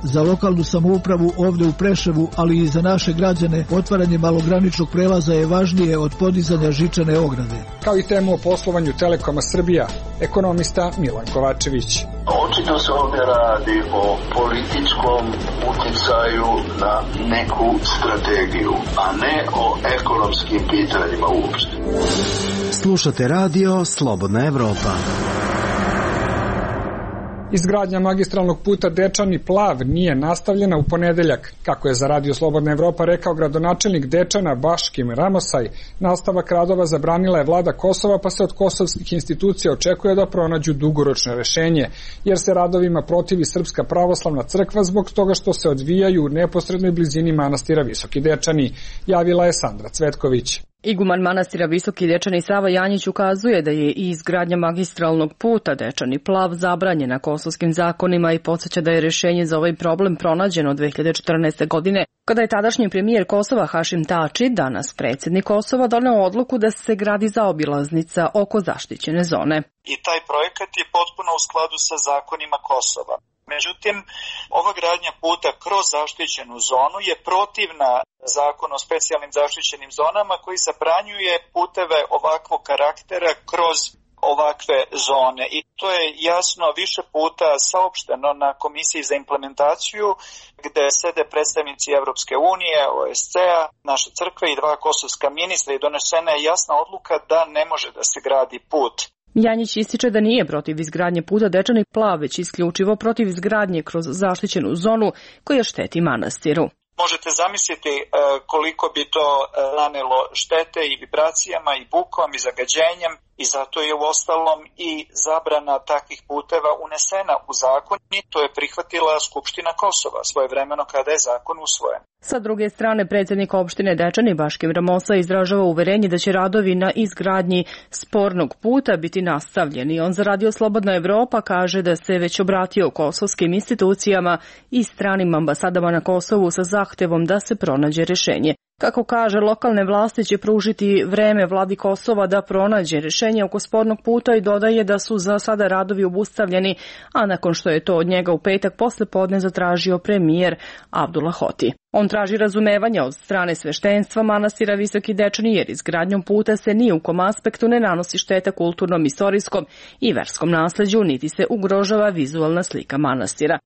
Za lokalnu samoupravu ovde u Preševu, ali i za naše građane, otvaranje malograničnog prelaza je važnije od podizanja žičane ograde. Kao i temu o poslovanju Telekoma Srbija, ekonomista Milan Kovačević. Očito se ovdje radi o političkom uticaju na neku strategiju, a ne o ekonomskim pitanjima uopšte. Slušate radio Slobodna Evropa. Izgradnja magistralnog puta Dečani-Plav nije nastavljena u ponedeljak. Kako je za Radio Slobodna Evropa rekao gradonačelnik Dečana Baškim Ramosaj, nastavak radova zabranila je vlada Kosova, pa se od kosovskih institucija očekuje da pronađu dugoročno rešenje, jer se radovima protivi Srpska pravoslavna crkva zbog toga što se odvijaju u neposrednoj blizini manastira Visoki Dečani, javila je Sandra Cvetković. Iguman manastira Visoki Dečani Sava Janjić ukazuje da je i izgradnja magistralnog puta Dečani-Plav zabranjena kosovskim zakonima i podsjeća da je rješenje za ovaj problem pronađeno 2014. godine, kada je tadašnji premijer Kosova Hašim Tači, danas predsjednik Kosova, doneo odluku da se gradi zaobilaznica oko zaštićene zone. I taj projekat je potpuno u skladu sa zakonima Kosova. Međutim, ova gradnja puta kroz zaštićenu zonu je protivna zakonu o specijalnim zaštićenim zonama koji zabranjuje puteve ovakvog karaktera kroz ovakve zone. I to je jasno više puta saopšteno na Komisiji za implementaciju gde sede predstavnici Evropske unije, OSCE-a, naše crkve i dva kosovska ministra i donesena je jasna odluka da ne može da se gradi put. Janjić ističe da nije protiv izgradnje puta Dečani-Plav, već isključivo protiv izgradnje kroz zaštićenu zonu koja šteti manastiru. Možete zamisliti koliko bi to nanelo štete i vibracijama i bukom i zagađenjem i zato je uostalom i zabrana takvih puteva unesena u zakon i to je prihvatila Skupština Kosova svojevremeno kada je zakon usvojen. Sa druge strane, predsjednik opštine Dečani Baškim Ramosa izražava uverenje da će radovi na izgradnji spornog puta biti nastavljeni. On za Radio Slobodna Evropa kaže da se već obratio kosovskim institucijama i stranim ambasadama na Kosovu sa zahtevom da se pronađe rješenje. Kako kaže, lokalne vlasti će pružiti vreme vladi Kosova da pronađe rješenje oko spornog puta i dodaje da su za sada radovi obustavljeni, a nakon što je to od njega u petak posle podne zatražio premijer Abdullah Hoti. On traži razumevanja od strane sveštenstva manastira Visoki Dečani jer izgradnjom puta se ni u kom aspektu ne nanosi šteta kulturnom, istorijskom i verskom nasleđu, niti se ugrožava vizualna slika manastira.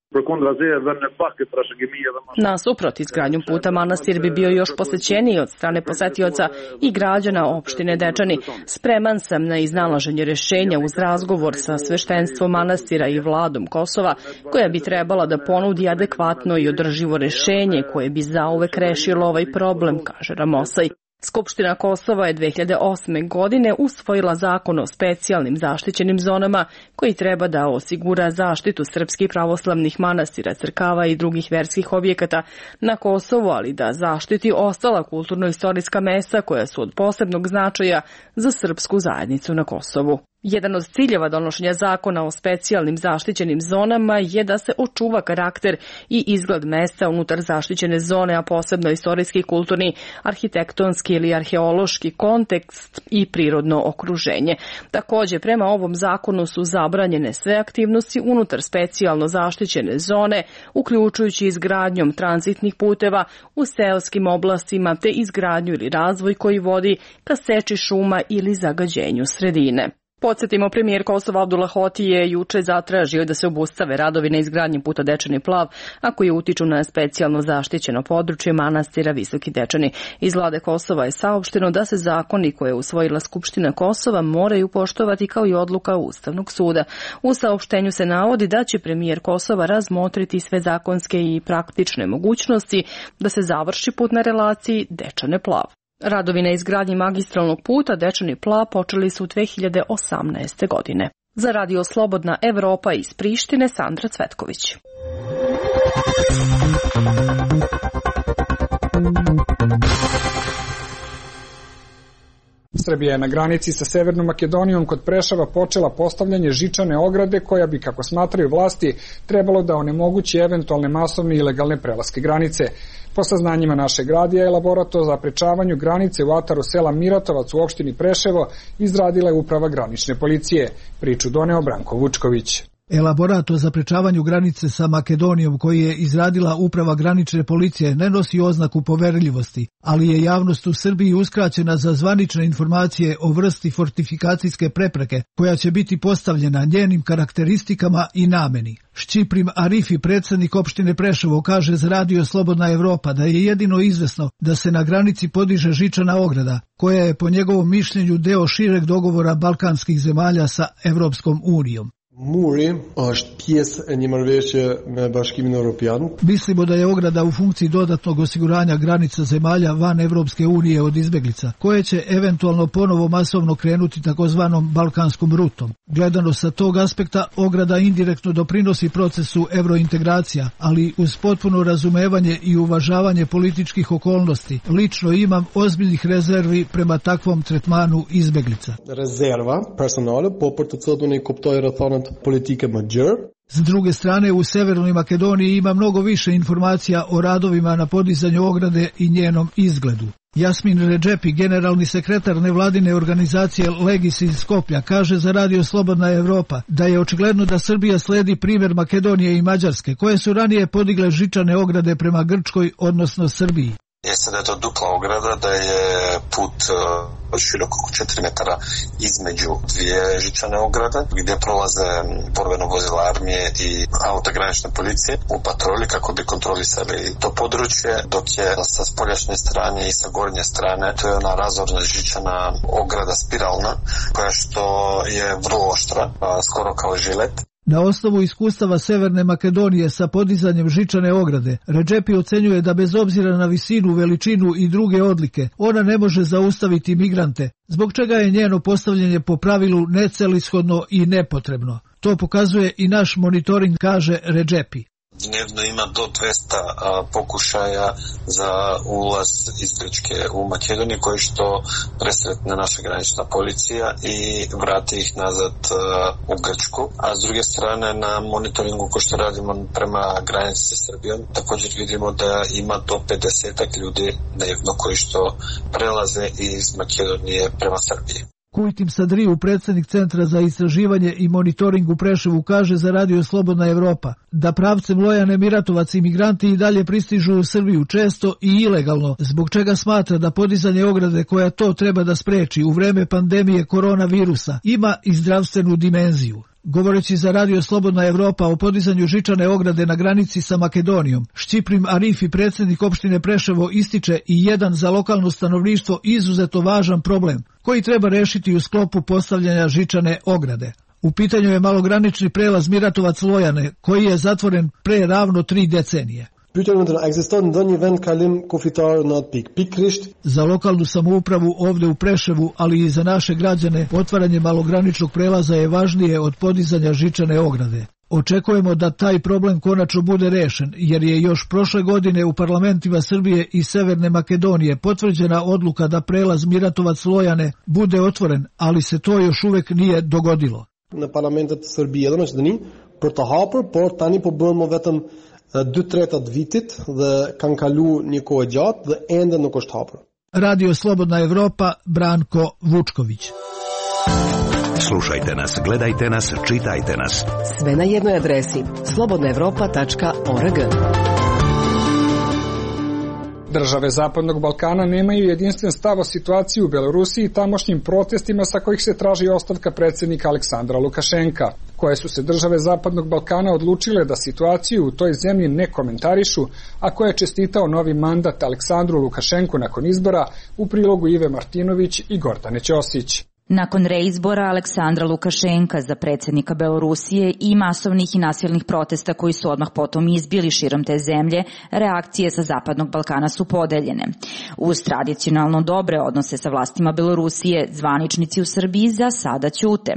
Nasuprot, izgradnjom puta manastir bi bio još posjećeniji od strane posetioca i građana opštine Dečani. Spreman sam na iznalaženje rješenja uz razgovor sa sveštenstvom manastira i vladom Kosova, koja bi trebala da ponudi adekvatno i održivo rješenje koje bi zauvek rešilo ovaj problem, kaže Ramosaj. Skupština Kosova je 2008. godine usvojila zakon o specijalnim zaštićenim zonama koji treba da osigura zaštitu srpskih pravoslavnih manastira, crkava i drugih verskih objekata na Kosovu, ali da zaštiti ostala kulturno-istorijska mesta koja su od posebnog značaja za srpsku zajednicu na Kosovu. Jedan od ciljeva donošenja zakona o specijalnim zaštićenim zonama je da se očuva karakter i izgled mesta unutar zaštićene zone, a posebno istorijski, kulturni, arhitektonski ili arheološki kontekst i prirodno okruženje. Također, prema ovom zakonu su zabranjene sve aktivnosti unutar specijalno zaštićene zone, uključujući izgradnjom tranzitnih puteva u seoskim oblastima te izgradnju ili razvoj koji vodi ka seči šuma ili zagađenju sredine. Podsjetimo, premijer Kosova Abdullah Hoti je juče zatražio da se obustave radovi na izgradnji puta Dečani Plav, a koji utiču na specijalno zaštićeno područje manastira Visoki Dečani. Iz vlade Kosova je saopšteno da se zakoni koje je usvojila Skupština Kosova moraju poštovati kao i odluka Ustavnog suda. U saopštenju se navodi da će premijer Kosova razmotriti sve zakonske i praktične mogućnosti da se završi put na relaciji Dečane Plav. Radovi na izgradnji magistralnog puta Dečani Plav počeli su 2018. godine. Za Radio Slobodna Evropa iz Prištine, Sandra Cvetković. Srbija je na granici sa Severnom Makedonijom kod Preševa počela postavljanje žičane ograde koja bi, kako smatraju vlasti, trebalo da onemogući eventualne masovne ilegalne prelaske granice. Po saznanjima našeg radija, elaborat o zaprečavanju granice u ataru sela Miratovac u opštini Preševo izradila je uprava granične policije. Priču doneo Branko Vučković. Elaborat o zaprečavanju granice sa Makedonijom koji je izradila uprava granične policije ne nosi oznaku poverljivosti, ali je javnost u Srbiji uskraćena za zvanične informacije o vrsti fortifikacijske prepreke koja će biti postavljena, njenim karakteristikama i nameni. Šćiprim Arifi, predsjednik opštine Preševo, kaže za Radio Slobodna Evropa da je jedino izvesno da se na granici podiže žičana ograda, koja je po njegovom mišljenju deo šireg dogovora balkanskih zemalja sa Evropskom unijom. Muri është pjesë e një marrëveshje me Bashkimin Evropian. Mislimo da je ograda u funkciji dodatnog osiguranja granica zemalja van Evropske unije od izbeglica, koje će eventualno ponovo masovno krenuti takozvanom balkanskom rutom. Gledano sa tog aspekta, ograda indirektno doprinosi procesu evrointegracija, ali uz potpuno razumevanje i uvažavanje političkih okolnosti, lično imam ozbiljnih rezervi prema takvom tretmanu izbeglica. Rezerva personale, po për të cilën unë i kuptoj rrethanat politike më gjerë. S druge strane, u Severnoj Makedoniji ima mnogo više informacija o radovima na podizanju ograde i njenom izgledu. Jasmin Redžepi, generalni sekretar nevladine organizacije Legis iz Skoplja, kaže za Radio Slobodna Evropa da je očigledno da Srbija sledi primjer Makedonije i Mađarske, koje su ranije podigle žičane ograde prema Grčkoj, odnosno Srbiji. Jeste da je to dupla ograda, da je put širok oko 4 metara između dvije žičane ograde, gdje prolaze borbeno vozila armije i auta granične policije u patroli kako bi kontrolisali to područje, dok je sa spoljašnje strane i sa gornje strane to je ona razorna žičana ograda spiralna, koja što je vrlo oštra, skoro kao žilet. Na osnovu iskustava Severne Makedonije sa podizanjem žičane ograde, Redžepi ocenjuje da bez obzira na visinu, veličinu i druge odlike, ona ne može zaustaviti migrante, zbog čega je njeno postavljanje po pravilu necelishodno i nepotrebno. To pokazuje i naš monitoring, kaže Redžepi. Dnevno ima do 200 pokušaja za ulaz iz Grčke u Makedoniju, koji što presretne naša granična policija i vrati ih nazad u Grčku. A s druge strane, na monitoringu ko što radimo prema granici sa Srbijom, također vidimo da ima do 50 ljudi dnevno koji što prelaze iz Makedonije prema Srbiji. Kujtim Sadriju, predsjednik Centra za istraživanje i monitoring u Preševu, kaže za Radio Slobodna Evropa da pravcem Lojane Miratovac imigranti i dalje pristižu u Srbiju često i ilegalno, zbog čega smatra da podizanje ograde koja to treba da spreči u vreme pandemije koronavirusa ima i zdravstvenu dimenziju. Govoreći za Radio Slobodna Evropa o podizanju žičane ograde na granici sa Makedonijom, Šćiprim Arifi, predsjednik opštine Preševo, ističe i jedan za lokalno stanovništvo izuzetno važan problem, koji treba rešiti u sklopu postavljanja žičane ograde. U pitanju je malogranični prelaz Miratovac-Lojane, koji je zatvoren pre ravno 3 decenije. Za lokalnu samoupravu ovde u Preševu, ali i za naše građane, otvaranje malograničnog prelaza je važnije od podizanja žičane ograde. Očekujemo da taj problem konačno bude rešen, jer je još prošle godine u parlamentima Srbije i Severne Makedonije potvrđena odluka da prelaz Miratovac-Lojane bude otvoren, ali se to još uvek nije dogodilo. Në parlamentet të Serbisë dhe Maqedonisë për të hapur, por tani po bëhen vetëm 2/3 të vitit dhe kanë kaluar një kohë gjatë dhe ende nuk është hapur. Radio Slobodna Evropa, Branko Vučković. Slušajte nas, gledajte nas, čitajte nas. Sve na jednoj adresi slobodnaevropa.org. Države Zapadnog Balkana nemaju jedinstven stav o situaciji u Belorusiji i tamošnjim protestima sa kojih se traži ostavka predsjednika Aleksandra Lukašenka. Koje su se države Zapadnog Balkana odlučile da situaciju u toj zemlji ne komentarišu, a koje je čestitao novi mandat Aleksandru Lukašenku nakon izbora, u prilogu Ive Martinović i Gordane Ćosić. Nakon reizbora Aleksandra Lukašenka za predsjednika Belorusije i masovnih i nasilnih protesta koji su odmah potom izbili širom te zemlje, reakcije sa Zapadnog Balkana su podeljene. Uz tradicionalno dobre odnose sa vlastima Belorusije, zvaničnici u Srbiji za sada ćute.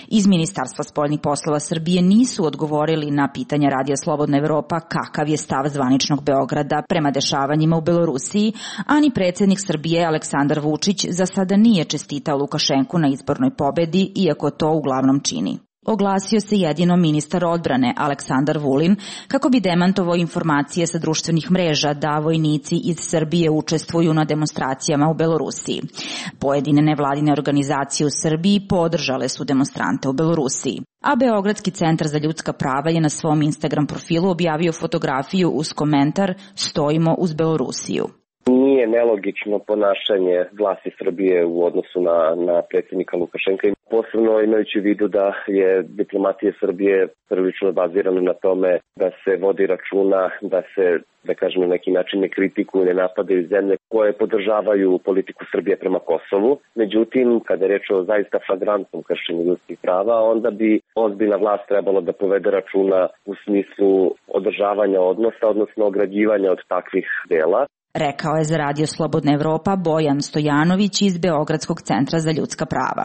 Iz Ministarstva spoljnih poslova Srbije nisu odgovorili na pitanja Radija Slobodna Evropa kakav je stav zvaničnog Beograda prema dešavanjima u Belorusiji, a ni predsjednik Srbije Aleksandar Vučić za sada nije čestitao Lukašenku na izbornoj pobedi, iako to uglavnom čini. Oglasio se jedino ministar odbrane Aleksandar Vulin kako bi demantovao informacije sa društvenih mreža da vojnici iz Srbije učestvuju na demonstracijama u Belorusiji. Pojedine nevladine organizacije u Srbiji podržale su demonstrante u Belorusiji. A Beogradski centar za ljudska prava je na svom Instagram profilu objavio fotografiju uz komentar "Stojimo uz Belorusiju". Nije nelogično ponašanje vlasti Srbije u odnosu na predsjednika Lukašenka, posebno imajući u vidu da je diplomatija Srbije prilično bazirana na tome da se vodi računa, da se, da kažem, na neki način ne kritikuju, ne napadaju zemlje koje podržavaju politiku Srbije prema Kosovu. Međutim, kada je reč o zaista flagrantnom kršenju ljudskih prava, onda bi ozbiljna vlast trebalo da povede računa u smislu održavanja odnosa, odnosno ograđivanja od takvih dela. Rekao je za Radio Slobodna Evropa Bojan Stojanović iz Beogradskog centra za ljudska prava.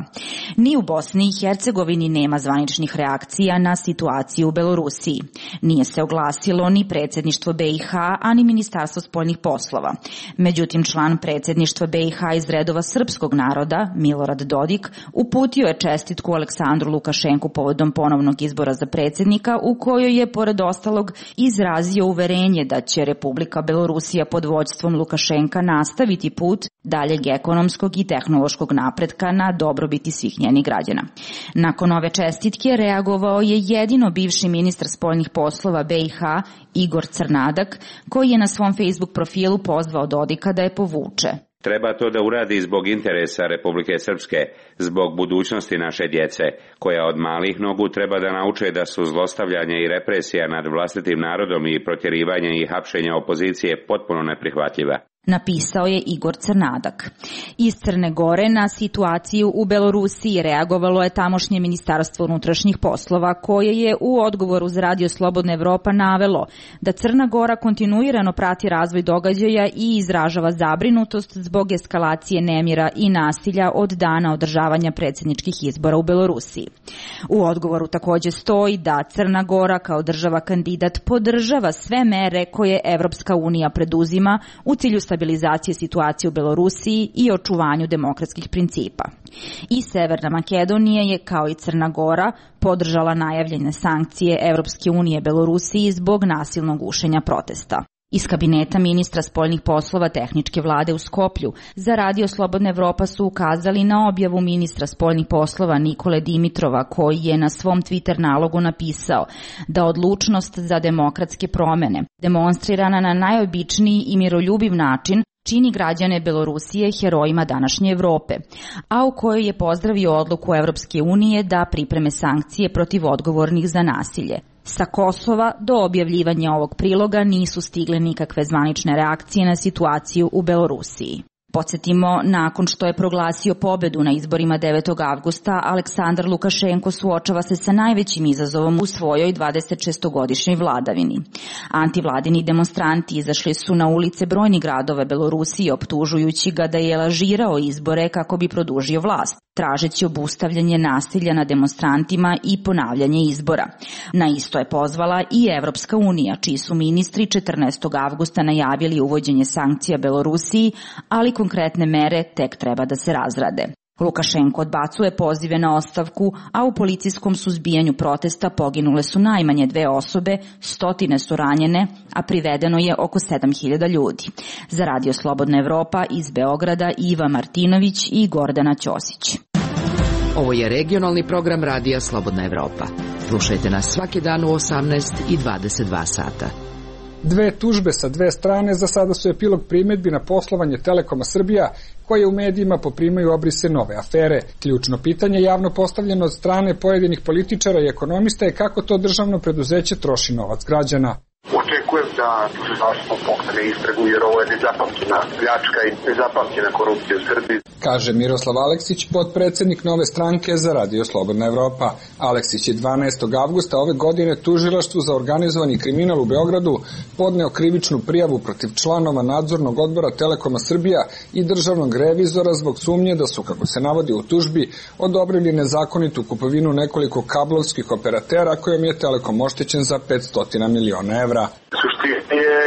Ni u Bosni i Hercegovini nema zvaničnih reakcija na situaciju u Belorusiji. Nije se oglasilo ni predsjedništvo BiH, a ni Ministarstvo spoljnih poslova. Međutim, član predsjedništva BiH iz redova srpskog naroda, Milorad Dodik, uputio je čestitku Aleksandru Lukašenku povodom ponovnog izbora za predsjednika, u kojoj je, pored ostalog, izrazio uverenje da će Republika Belorusija pod vođstvom Lukašenka nastaviti put daljeg ekonomskog i tehnološkog napretka na dobrobiti svih njenih građana. Nakon ove čestitke reagovao je jedino bivši ministar spoljnih poslova BiH Igor Crnadak, koji je na svom Facebook profilu pozvao Dodika da je povuče. Treba to da uradi zbog interesa Republike Srpske, zbog budućnosti naše djece, koja od malih nogu treba da nauče da su zlostavljanje i represija nad vlastitim narodom i protjerivanje i hapšenje opozicije potpuno neprihvatljiva. Napisao je Igor Crnadak. Iz Crne Gore na situaciju u Belorusiji reagovalo je tamošnje Ministarstvo unutrašnjih poslova, koje je u odgovoru za Radio Slobodna Evropa navelo da Crna Gora kontinuirano prati razvoj događaja i izražava zabrinutost zbog eskalacije nemira i nasilja od dana održavanja predsjedničkih izbora u Belorusiji. U odgovoru također stoji da Crna Gora kao država kandidat podržava sve mere koje Evropska unija preduzima u cilju stabilizacije situacije u Belorusiji i očuvanju demokratskih principa. I Severna Makedonija je, kao i Crna Gora, podržala najavljene sankcije Evropske unije Belorusiji zbog nasilnog gušenja protesta. Iz kabineta ministra spoljnih poslova tehničke vlade u Skoplju za Radio Slobodna Evropa su ukazali na objavu ministra spoljnih poslova Nikole Dimitrova, koji je na svom Twitter nalogu napisao da odlučnost za demokratske promene, demonstrirana na najobičniji i miroljubiv način, čini građane Belorusije herojima današnje Evrope, a u kojoj je pozdravio odluku Evropske unije da pripreme sankcije protiv odgovornih za nasilje. Sa Kosova do objavljivanja ovog priloga nisu stigle nikakve zvanične reakcije na situaciju u Belorusiji. Podsjetimo, nakon što je proglasio pobedu na izborima 9. avgusta, Aleksandar Lukašenko suočava se sa najvećim izazovom u svojoj 26-godišnjoj vladavini. Antivladini demonstranti izašli su na ulice brojnih gradova Belorusije optužujući ga da je lažirao izbore kako bi produžio vlast, tražeći obustavljanje nasilja na demonstrantima i ponavljanje izbora. Na isto je pozvala i Evropska unija, čiji su ministri 14. avgusta najavili uvođenje sankcija Belorusiji, ali konkretne mere tek treba da se razrade. Lukašenko odbacuje pozive na ostavku, a u policijskom suzbijanju protesta poginule su najmanje 2 osobe, stotine su ranjene, a privedeno je oko 7.000 ljudi. Za Radio Slobodna Evropa iz Beograda Iva Martinović i Gordana Ćosić. Ovo je regionalni program Radija Slobodna Evropa. Slušajte nas svaki dan u 18 i 22 sata. 2 tužbe sa 2 strane za sada su epilog primedbi na poslovanje Telekoma Srbija, koje u medijima poprimaju obrise nove afere. Ključno pitanje javno postavljeno od strane pojedinih političara i ekonomista je kako to državno preduzeće troši novac građana. Očekujem da tužilaštvo pokrene istragu jer ovo je nezapamćena pljačka i nezapamćena korupcija u Srbiji, kaže Miroslav Aleksić, potpredsednik Nove stranke za Radio Slobodna Evropa. Aleksić je 12. avgusta ove godine tužilaštvu za organizovani kriminal u Beogradu podneo krivičnu prijavu protiv članova nadzornog odbora Telekoma Srbija i državnog revizora zbog sumnje da su, kako se navodi u tužbi, odobrili nezakonitu kupovinu nekoliko kablovskih operatera kojom je Telekom oštećen za 500 miliona evra. Suština je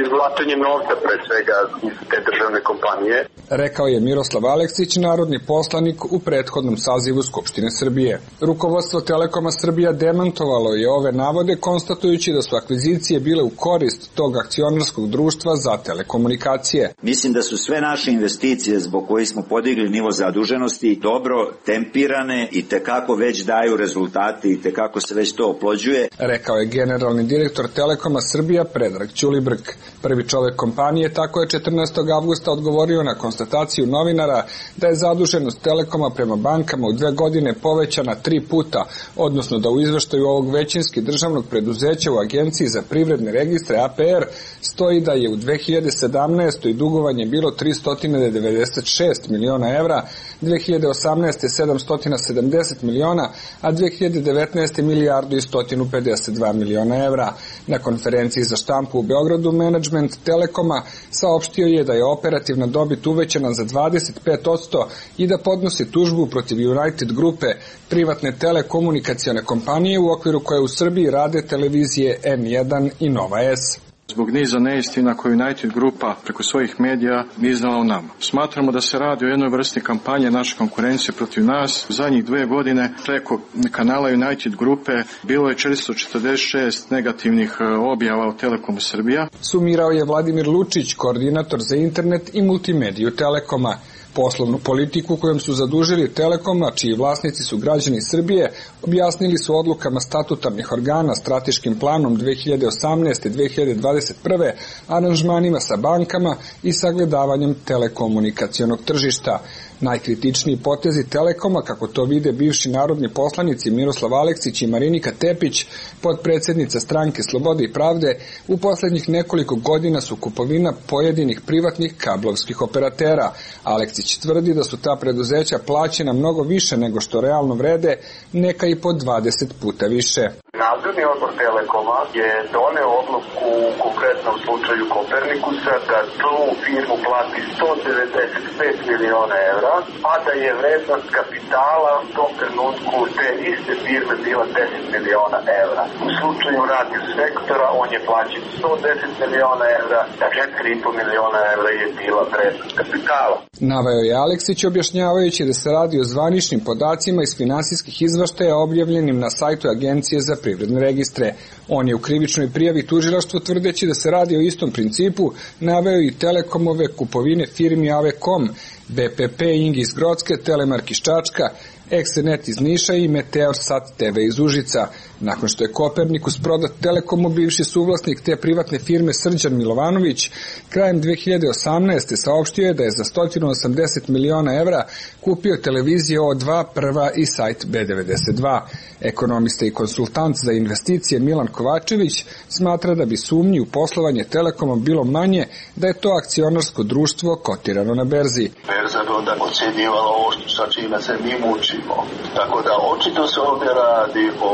izvlačenje novca pre svega iz te državne kompanije, rekao je Miroslav Aleksić, narodni poslanik u prethodnom sazivu Skupštine Srbije. Rukovodstvo Telekoma Srbija demantovalo je ove navode, konstatujući da su akvizicije bile u korist tog akcionarskog društva za telekomunikacije. Mislim da su sve naše investicije zbog kojih smo podigli nivo zaduženosti dobro tempirane i tekako već daju rezultate i tekako se već to oplođuje, rekao je generalni direktor Telekoma Srbija Predrag Ćulibrk. Prvi čovek kompanije tako je 14. avgusta odgovorio na konstataciju novinara da je zaduženost Telekoma prema bankama u 2 godine povećana 3 puta, odnosno da u izveštaju ovog većinski državnog preduzeća u Agenciji za privredne registre APR stoji da je u 2017. dugovanje bilo 396 miliona evra, 2018. 770 miliona, a 2019. milijardu i 152 miliona evra. Na konferenciji za štampu u Beogradu menadžment Telekoma saopštio je da je operativna dobit uvećana za 25% i da podnosi tužbu protiv United grupe, privatne telekomunikacione kompanije u okviru koje u Srbiji rade televizije N1 i Nova S. Zbog niza neistina koju United grupa preko svojih medija iznala o nama. Smatramo da se radi o jednoj vrsti kampanje naše konkurencije protiv nas. U zadnjih 2 godine preko kanala United grupe bilo je 446 negativnih objava o Telekomu Srbija. Sumirao je Vladimir Lučić, koordinator za internet i multimediju Telekoma. Poslovnu politiku kojom su zadužili Telekoma, čiji vlasnici su građani Srbije, objasnili su odlukama statutarnih organa, strateškim planom 2018-2021, aranžmanima sa bankama i sagledavanjem telekomunikacionog tržišta. Najkritičniji potezi Telekoma, kako to vide bivši narodni poslanici Miroslav Aleksić i Marinika Tepić, potpredsednica stranke Slobode i pravde, u poslednjih nekoliko godina su kupovina pojedinih privatnih kablovskih operatera. Aleksić tvrdi da su ta preduzeća plaćena mnogo više nego što realno vrede, neka i po 20 puta više. Nadzorni odbor Telekoma je doneo odluku u konkretnom slučaju Kopernikusa da tu firmu plati 195 miliona evra, a da je vrednost kapitala u tom trenutku te iste firme bila 10 miliona evra. U slučaju radio sektora on je plaćen 110 miliona evra, a 4,5 miliona evra je bila vrednost kapitala. Naveo je Aleksić objašnjavajući da se radi o zvaničnim podacima iz finansijskih izveštaja objavljenim na sajtu Agencije za privredne registre. On je u krivičnoj prijavi tužilaštvu, tvrdeći da se radi o istom principu, naveo i Telekomove kupovine firmi Avekom, BPP Ing iz Grocke, Telemark iz Čačka, Exenet iz Niša i Meteor Sat TV iz Užica. Nakon što je Kopernikus prodat Telekomu, bivši suvlasnik te privatne firme Srđan Milovanović krajem 2018. saopštio je da je za 180 miliona evra kupio televizije O2, Prva i sajt B92. Ekonomista i konsultant za investicije Milan Kovačević smatra da bi sumnji u poslovanje Telekomom bilo manje da je to akcionarsko društvo kotirano na berzi. Berza bi onda ocjenjivala ovo sa čime se mi mučimo. Tako da očito se ovdje radi o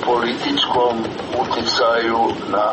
političkom uticaju na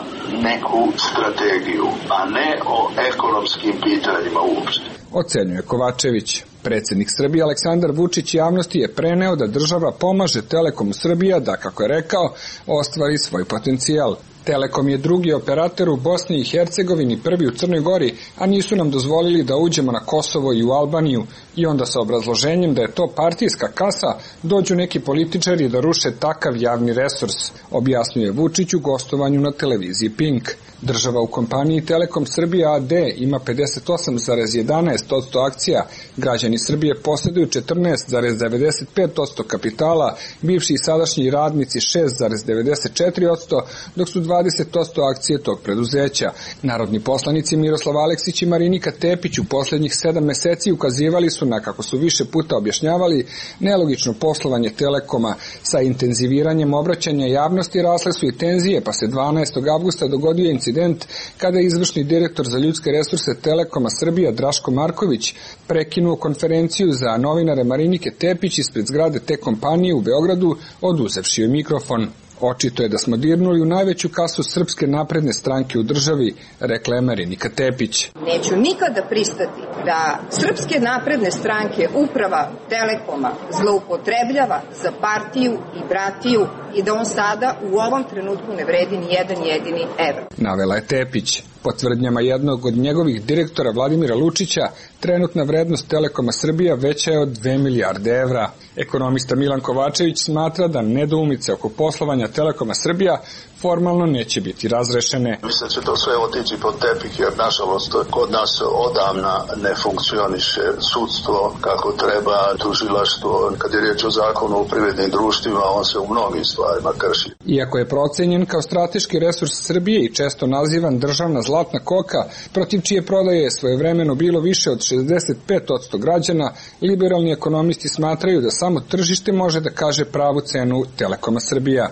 neku strategiju, a ne o ekonomskim pitanjima uopšte. Ocenjuje Kovačević. Predsjednik Srbije Aleksandar Vučić javnosti je preneo da država pomaže Telekomu Srbija da, kako je rekao, ostvari svoj potencijal. Telekom je drugi operator u Bosni i Hercegovini, prvi u Crnoj Gori, a nisu nam dozvolili da uđemo na Kosovo i u Albaniju. I onda sa obrazloženjem da je to partijska kasa, dođu neki političari da ruše takav javni resurs, objasnjuje Vučić u gostovanju na televiziji Pink. Država u kompaniji Telekom Srbija AD ima 58,11% akcija, građani Srbije posjeduju 14,95% kapitala, bivši i sadašnji radnici 6,94%, dok su 20% akcije tog preduzeća. Narodni poslanici Miroslav Aleksić i Marinika Tepić u posljednjih 7 meseci ukazivali su na, kako su više puta objašnjavali, nelogično poslovanje Telekoma. Sa intenziviranjem obraćanja javnosti rasle su i tenzije, pa se 12. avgusta dogodio incident kada je izvršni direktor za ljudske resurse Telekoma Srbija Draško Marković prekinuo konferenciju za novinare Marinike Tepić ispred zgrade te kompanije u Beogradu, oduzevši joj mikrofon. Očito je da smo dirnuli u najveću kasu Srpske napredne stranke u državi, rekla je Marinika Tepić. Neću nikada pristati da Srpske napredne stranke uprava Telekoma zloupotrebljava za partiju i bratiju i da on sada u ovom trenutku ne vredi ni jedan jedini evro. Navela je Tepić. Po tvrdnjama jednog od njegovih direktora Vladimira Lučića, trenutna vrednost Telekoma Srbija veća je od 2 milijarde evra. Ekonomista Milan Kovačević smatra da nedoumice oko poslovanja Telekoma Srbija formalno neće biti razrešene. Mislim da će to sve otići pod tepih, jer nažalost kod nas odavna ne funkcioniše sudstvo kako treba, tužilaštvo. Kad je riječ o zakonu o privrednim društvima, on se u mnogim stvarima krši. Iako je procenjen kao strateški resurs Srbije i često nazivan državna zlatna koka, protiv čije prodaje je svojevremeno bilo više od 65% građana, liberalni ekonomisti smatraju da samo tržište može da kaže pravu cenu Telekoma Srbija.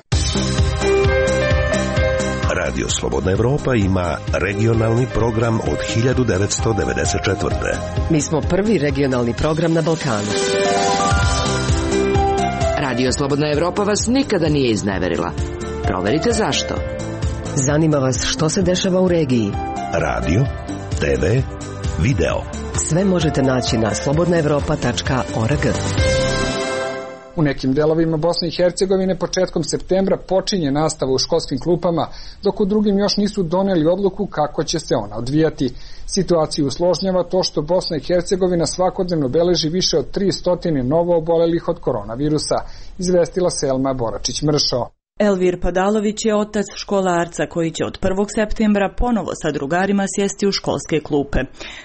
Radio Slobodna Evropa ima regionalni program od 1994. Mi smo prvi regionalni program na Balkanu. Radio Slobodna Evropa vas nikada nije izneverila. Proverite zašto. Zanima vas što se dešava u regiji. Radio, TV, video. Sve možete naći na slobodnaevropa.org. U nekim delovima Bosne i Hercegovine početkom septembra počinje nastava u školskim klupama, dok u drugim još nisu doneli odluku kako će se ona odvijati. Situaciju usložnjava to što Bosna i Hercegovina svakodnevno beleži više od 300 novo obolelih od koronavirusa, izvestila Selma Boračić-Mršo. Elvir Padalović je otac školarca koji će od 1. septembra ponovo sa drugarima sjesti u školske klupe.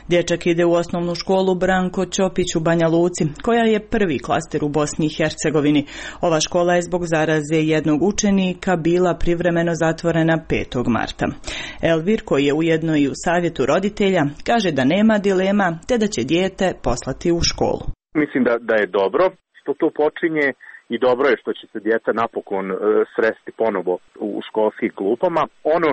Dječak ide u osnovnu školu Branko Ćopić u Banja Luci, koja je prvi klaster u Bosni i Hercegovini. Ova škola je zbog zaraze jednog učenika bila privremeno zatvorena 5. marta. Elvir, koji je ujedno i u savjetu roditelja, kaže da nema dilema te da će dijete poslati u školu. Mislim da je dobro što to počinje. I dobro je što će se djeca napokon sresti ponovo u školskim klupama. Ono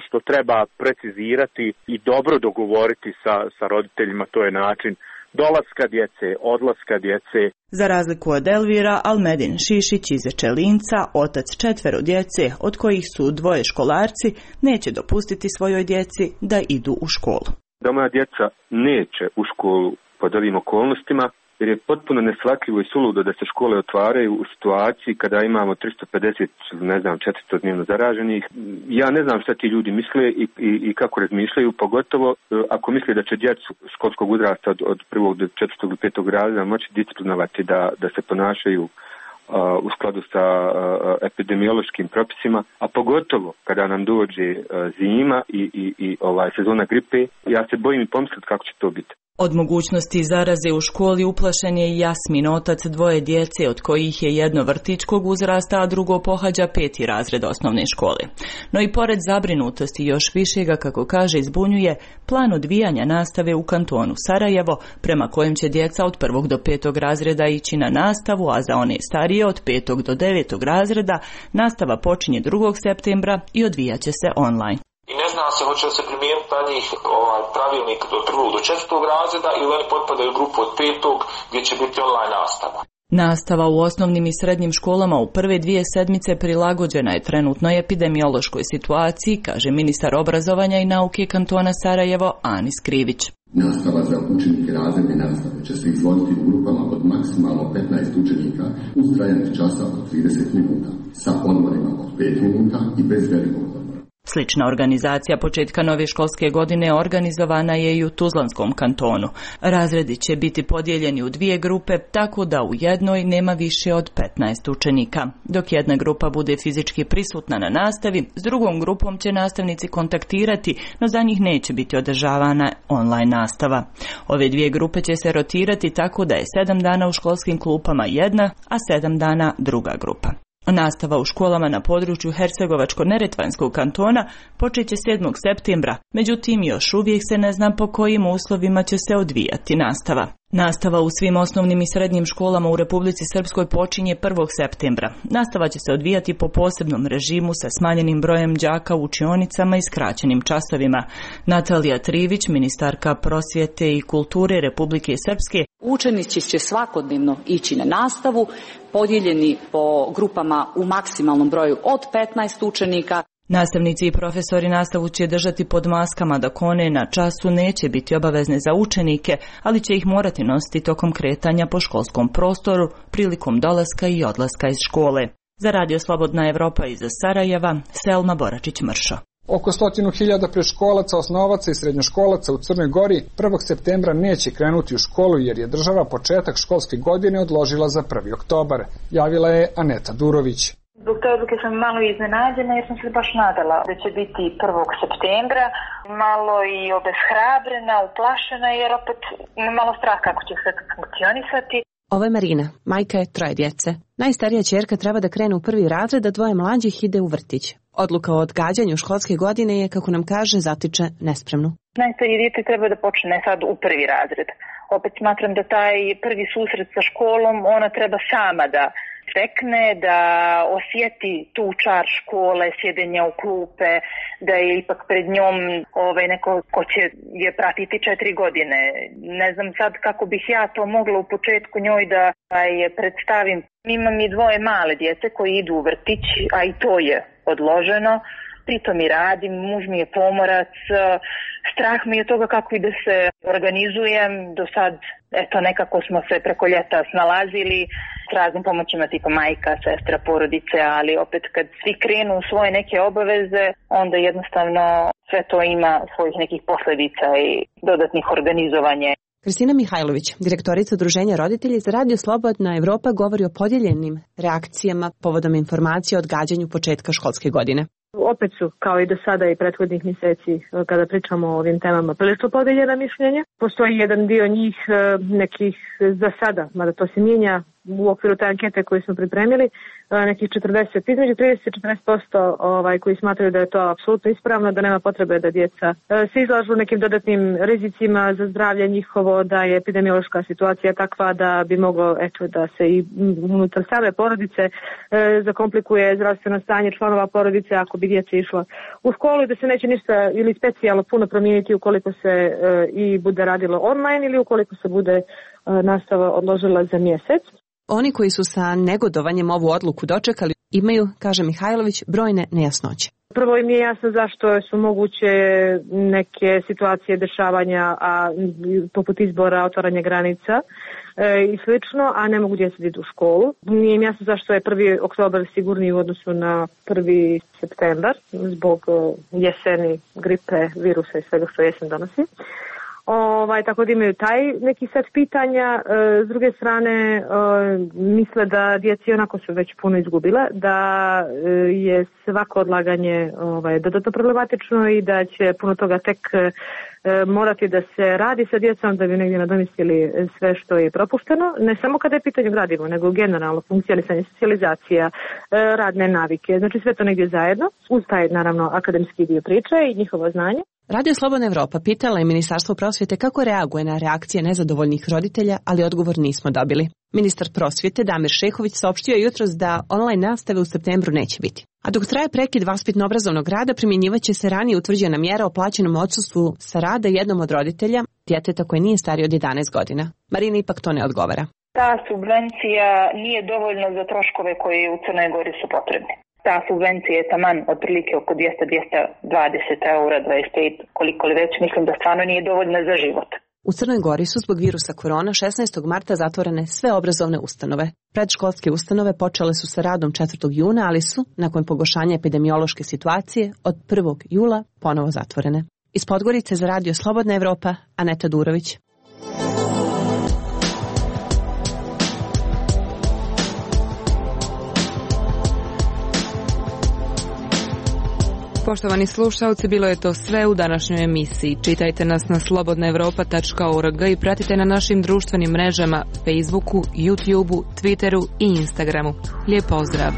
što treba precizirati i dobro dogovoriti sa roditeljima, to je način dolaska djece, odlaska djece. Za razliku od Elvira, Almedin Šišić iz Ečelinca, otac 4 djece, od kojih su 2 školarci, neće dopustiti svojoj djeci da idu u školu. Da moja djeca neće u školu pod ovim okolnostima, jer je potpuno neshvatljivo i suludo da se škole otvaraju u situaciji kada imamo 350, 400 dnevno zaraženih. Ja ne znam šta ti ljudi misle i kako razmišljaju, pogotovo ako misle da će djecu školskog uzrasta od 1. do 4. ili 5. razreda moći disciplinovati da se ponašaju u skladu sa epidemiološkim propisima, a pogotovo kada nam dođe zima i sezona gripe, ja se bojim i pomisliti kako će to biti. Od mogućnosti zaraze u školi uplašen je i Jasmin, otac dvoje djece, od kojih je jedno vrtićkog uzrasta, a drugo pohađa 5. razred osnovne škole. No i pored zabrinutosti još više ga, kako kaže, izbunjuje plan odvijanja nastave u kantonu Sarajevo, prema kojem će djeca od 1. do 5. razreda ići na nastavu, a za one starije od 5. do 9. razreda nastava počinje 2. septembra i odvijaće se online. I ne zna se hoće li se primijeniti na njih pravilnik od 1. do 4. razreda ili oni potpadaju u grupu od 5. gdje će biti online nastava. Nastava u osnovnim i srednjim školama u prve 2 sedmice prilagođena je trenutnoj epidemiološkoj situaciji, kaže ministar obrazovanja i nauke kantona Sarajevo Anis Krivić. Nastava za učenike razredne nastave će se izvoditi u grupama od maksimalno 15 učenika uz trajanje časa od 30 minuta, sa odmorima od 5 minuta i bez velikog odmora. Slična organizacija početka nove školske godine organizovana je i u Tuzlanskom kantonu. Razredi će biti podijeljeni u 2 grupe, tako da u jednoj nema više od 15 učenika. Dok jedna grupa bude fizički prisutna na nastavi, s drugom grupom će nastavnici kontaktirati, no za njih neće biti održavana online nastava. Ove 2 grupe će se rotirati tako da je 7 dana u školskim klupama jedna, a 7 dana druga grupa. Nastava u školama na području Hercegovačko-Neretvanskog kantona počeće 7. septembra, međutim još uvijek se ne zna po kojim uslovima će se odvijati nastava. Nastava u svim osnovnim i srednjim školama u Republici Srpskoj počinje 1. septembra. Nastava će se odvijati po posebnom režimu sa smanjenim brojem đaka u učionicama i skraćenim časovima. Natalija Trivić, ministarka prosvjete i kulture Republike Srpske: učenici će svakodnevno ići na nastavu, podijeljeni po grupama u maksimalnom broju od 15 učenika. Nastavnici i profesori nastavu će držati pod maskama dok one na času neće biti obavezne za učenike, ali će ih morati nositi tokom kretanja po školskom prostoru prilikom dolaska i odlaska iz škole. Za Radio Slobodna Evropa iz Sarajeva, Selma Boračić-Mršo. Oko 100.000 predškolaca, osnovaca i srednjoškolaca u Crnoj Gori 1. septembra neće krenuti u školu jer je država početak školske godine odložila za 1. oktobar, javila je Aneta Durović. Zbog te odluke sam malo iznenađena jer sam se baš nadala da će biti 1. septembra, malo i obeshrabrena, uplašena jer opet malo strah kako će sve funkcionisati. Ovo je Marina, majka je 3 djece. Najstarija ćerka treba da krene u 1. razred, a 2 mlađih ide u vrtić. Odluka o odgađanju školske godine je, kako nam kaže, zatiče nespremnu. Najstarije dijete treba da počne sad u 1. razred. Opet smatram da taj prvi susret sa školom ona treba sama da stekne, da osjeti tu čar škole, sjedenja u klupe, da je ipak pred njom neko ko će je pratiti 4 godine. Ne znam sad kako bih ja to mogla u početku njoj da je predstavim. Imam i 2 male djece koji idu u vrtić, a i to je odloženo. Pritom i radim, muž mi je pomorac, strah mi je toga kako i da se organizujem. Do sad, nekako smo se preko ljeta snalazili s raznim pomoćima tipa majka, sestra, porodice, ali opet kad svi krenu u svoje neke obaveze, onda jednostavno sve to ima svojih nekih posljedica i dodatnih organizovanja. Kristina Mihajlović, direktorica Udruženja roditelji za Radio Slobodna Evropa, govori o podijeljenim reakcijama povodom informacije o odgađanju početka školske godine. Opet su, kao i do sada i prethodnih mjeseci, kada pričamo o ovim temama, prilično podeljena mišljenja. Postoji jedan dio njih, nekih za sada, mada to se mijenja u okviru te ankete koju smo pripremili, nekih 40, između 30 i 40% koji smatraju da je to apsolutno ispravno, da nema potrebe da djeca se izlažu nekim dodatnim rizicima za zdravlje njihovo, da je epidemiološka situacija takva da bi moglo da se i unutar same porodice zakomplikuje zdravstveno stanje članova porodice ako bi djeca išla u školu i da se neće ništa ili specijalno puno promijeniti ukoliko se i bude radilo online ili ukoliko se bude nastava odložila za mjesec. Oni koji su sa negodovanjem ovu odluku dočekali imaju, kaže Mihajlović, brojne nejasnoće. Prvo im je jasno zašto su moguće neke situacije dešavanja, poput izbora, otvaranja granica i slično, a ne mogu djeca da idu u školu. Nije im jasno zašto je 1. oktobar sigurniji u odnosu na 1. septembar zbog jeseni, gripe, virusa i svega što jesen donosi. tako da imaju taj neki set pitanja. S druge strane, misle da djeci onako su već puno izgubile, da je svako odlaganje dodatno problematično i da će puno toga tek morati da se radi sa djecom da bi negdje nadomistili sve što je propušteno, ne samo kada je pitanje gradivo, nego generalno funkcionisanje, socijalizacija, radne navike, znači sve to negdje zajedno, uz taj naravno akademski dio priče i njihovo znanje. Radio Slobodna Evropa pitala je Ministarstvo prosvjete kako reaguje na reakcije nezadovoljnih roditelja, ali odgovor nismo dobili. Ministar prosvjete Damir Šehović saopštio jutros da online nastave u septembru neće biti. A dok traje prekid vaspitno-obrazovnog rada, primjenjivaće se ranije utvrđena mjera o plaćenom odsustvu sa rada jednom od roditelja, djeteta koje nije starije od 11 godina. Marina ipak to ne odgovara. Ta subvencija nije dovoljna za troškove koji u Crnoj Gori su potrebni. Ta subvencija je taman otprilike oko 200-220 eura, 25, koliko li već, mislim da stvarno nije dovoljna za život. U Crnoj Gori su zbog virusa korona 16. marta zatvorene sve obrazovne ustanove. Predškolske ustanove počele su sa radom 4. juna, ali su, nakon pogoršanja epidemiološke situacije, od 1. jula ponovo zatvorene. Iz Podgorice za Radio Slobodna Evropa, Aneta Durović. Poštovani slušalci, bilo je to sve u današnjoj emisiji. Čitajte nas na slobodnaevropa.org i pratite na našim društvenim mrežama Facebooku, YouTubeu, Twitteru i Instagramu. Lijep pozdrav!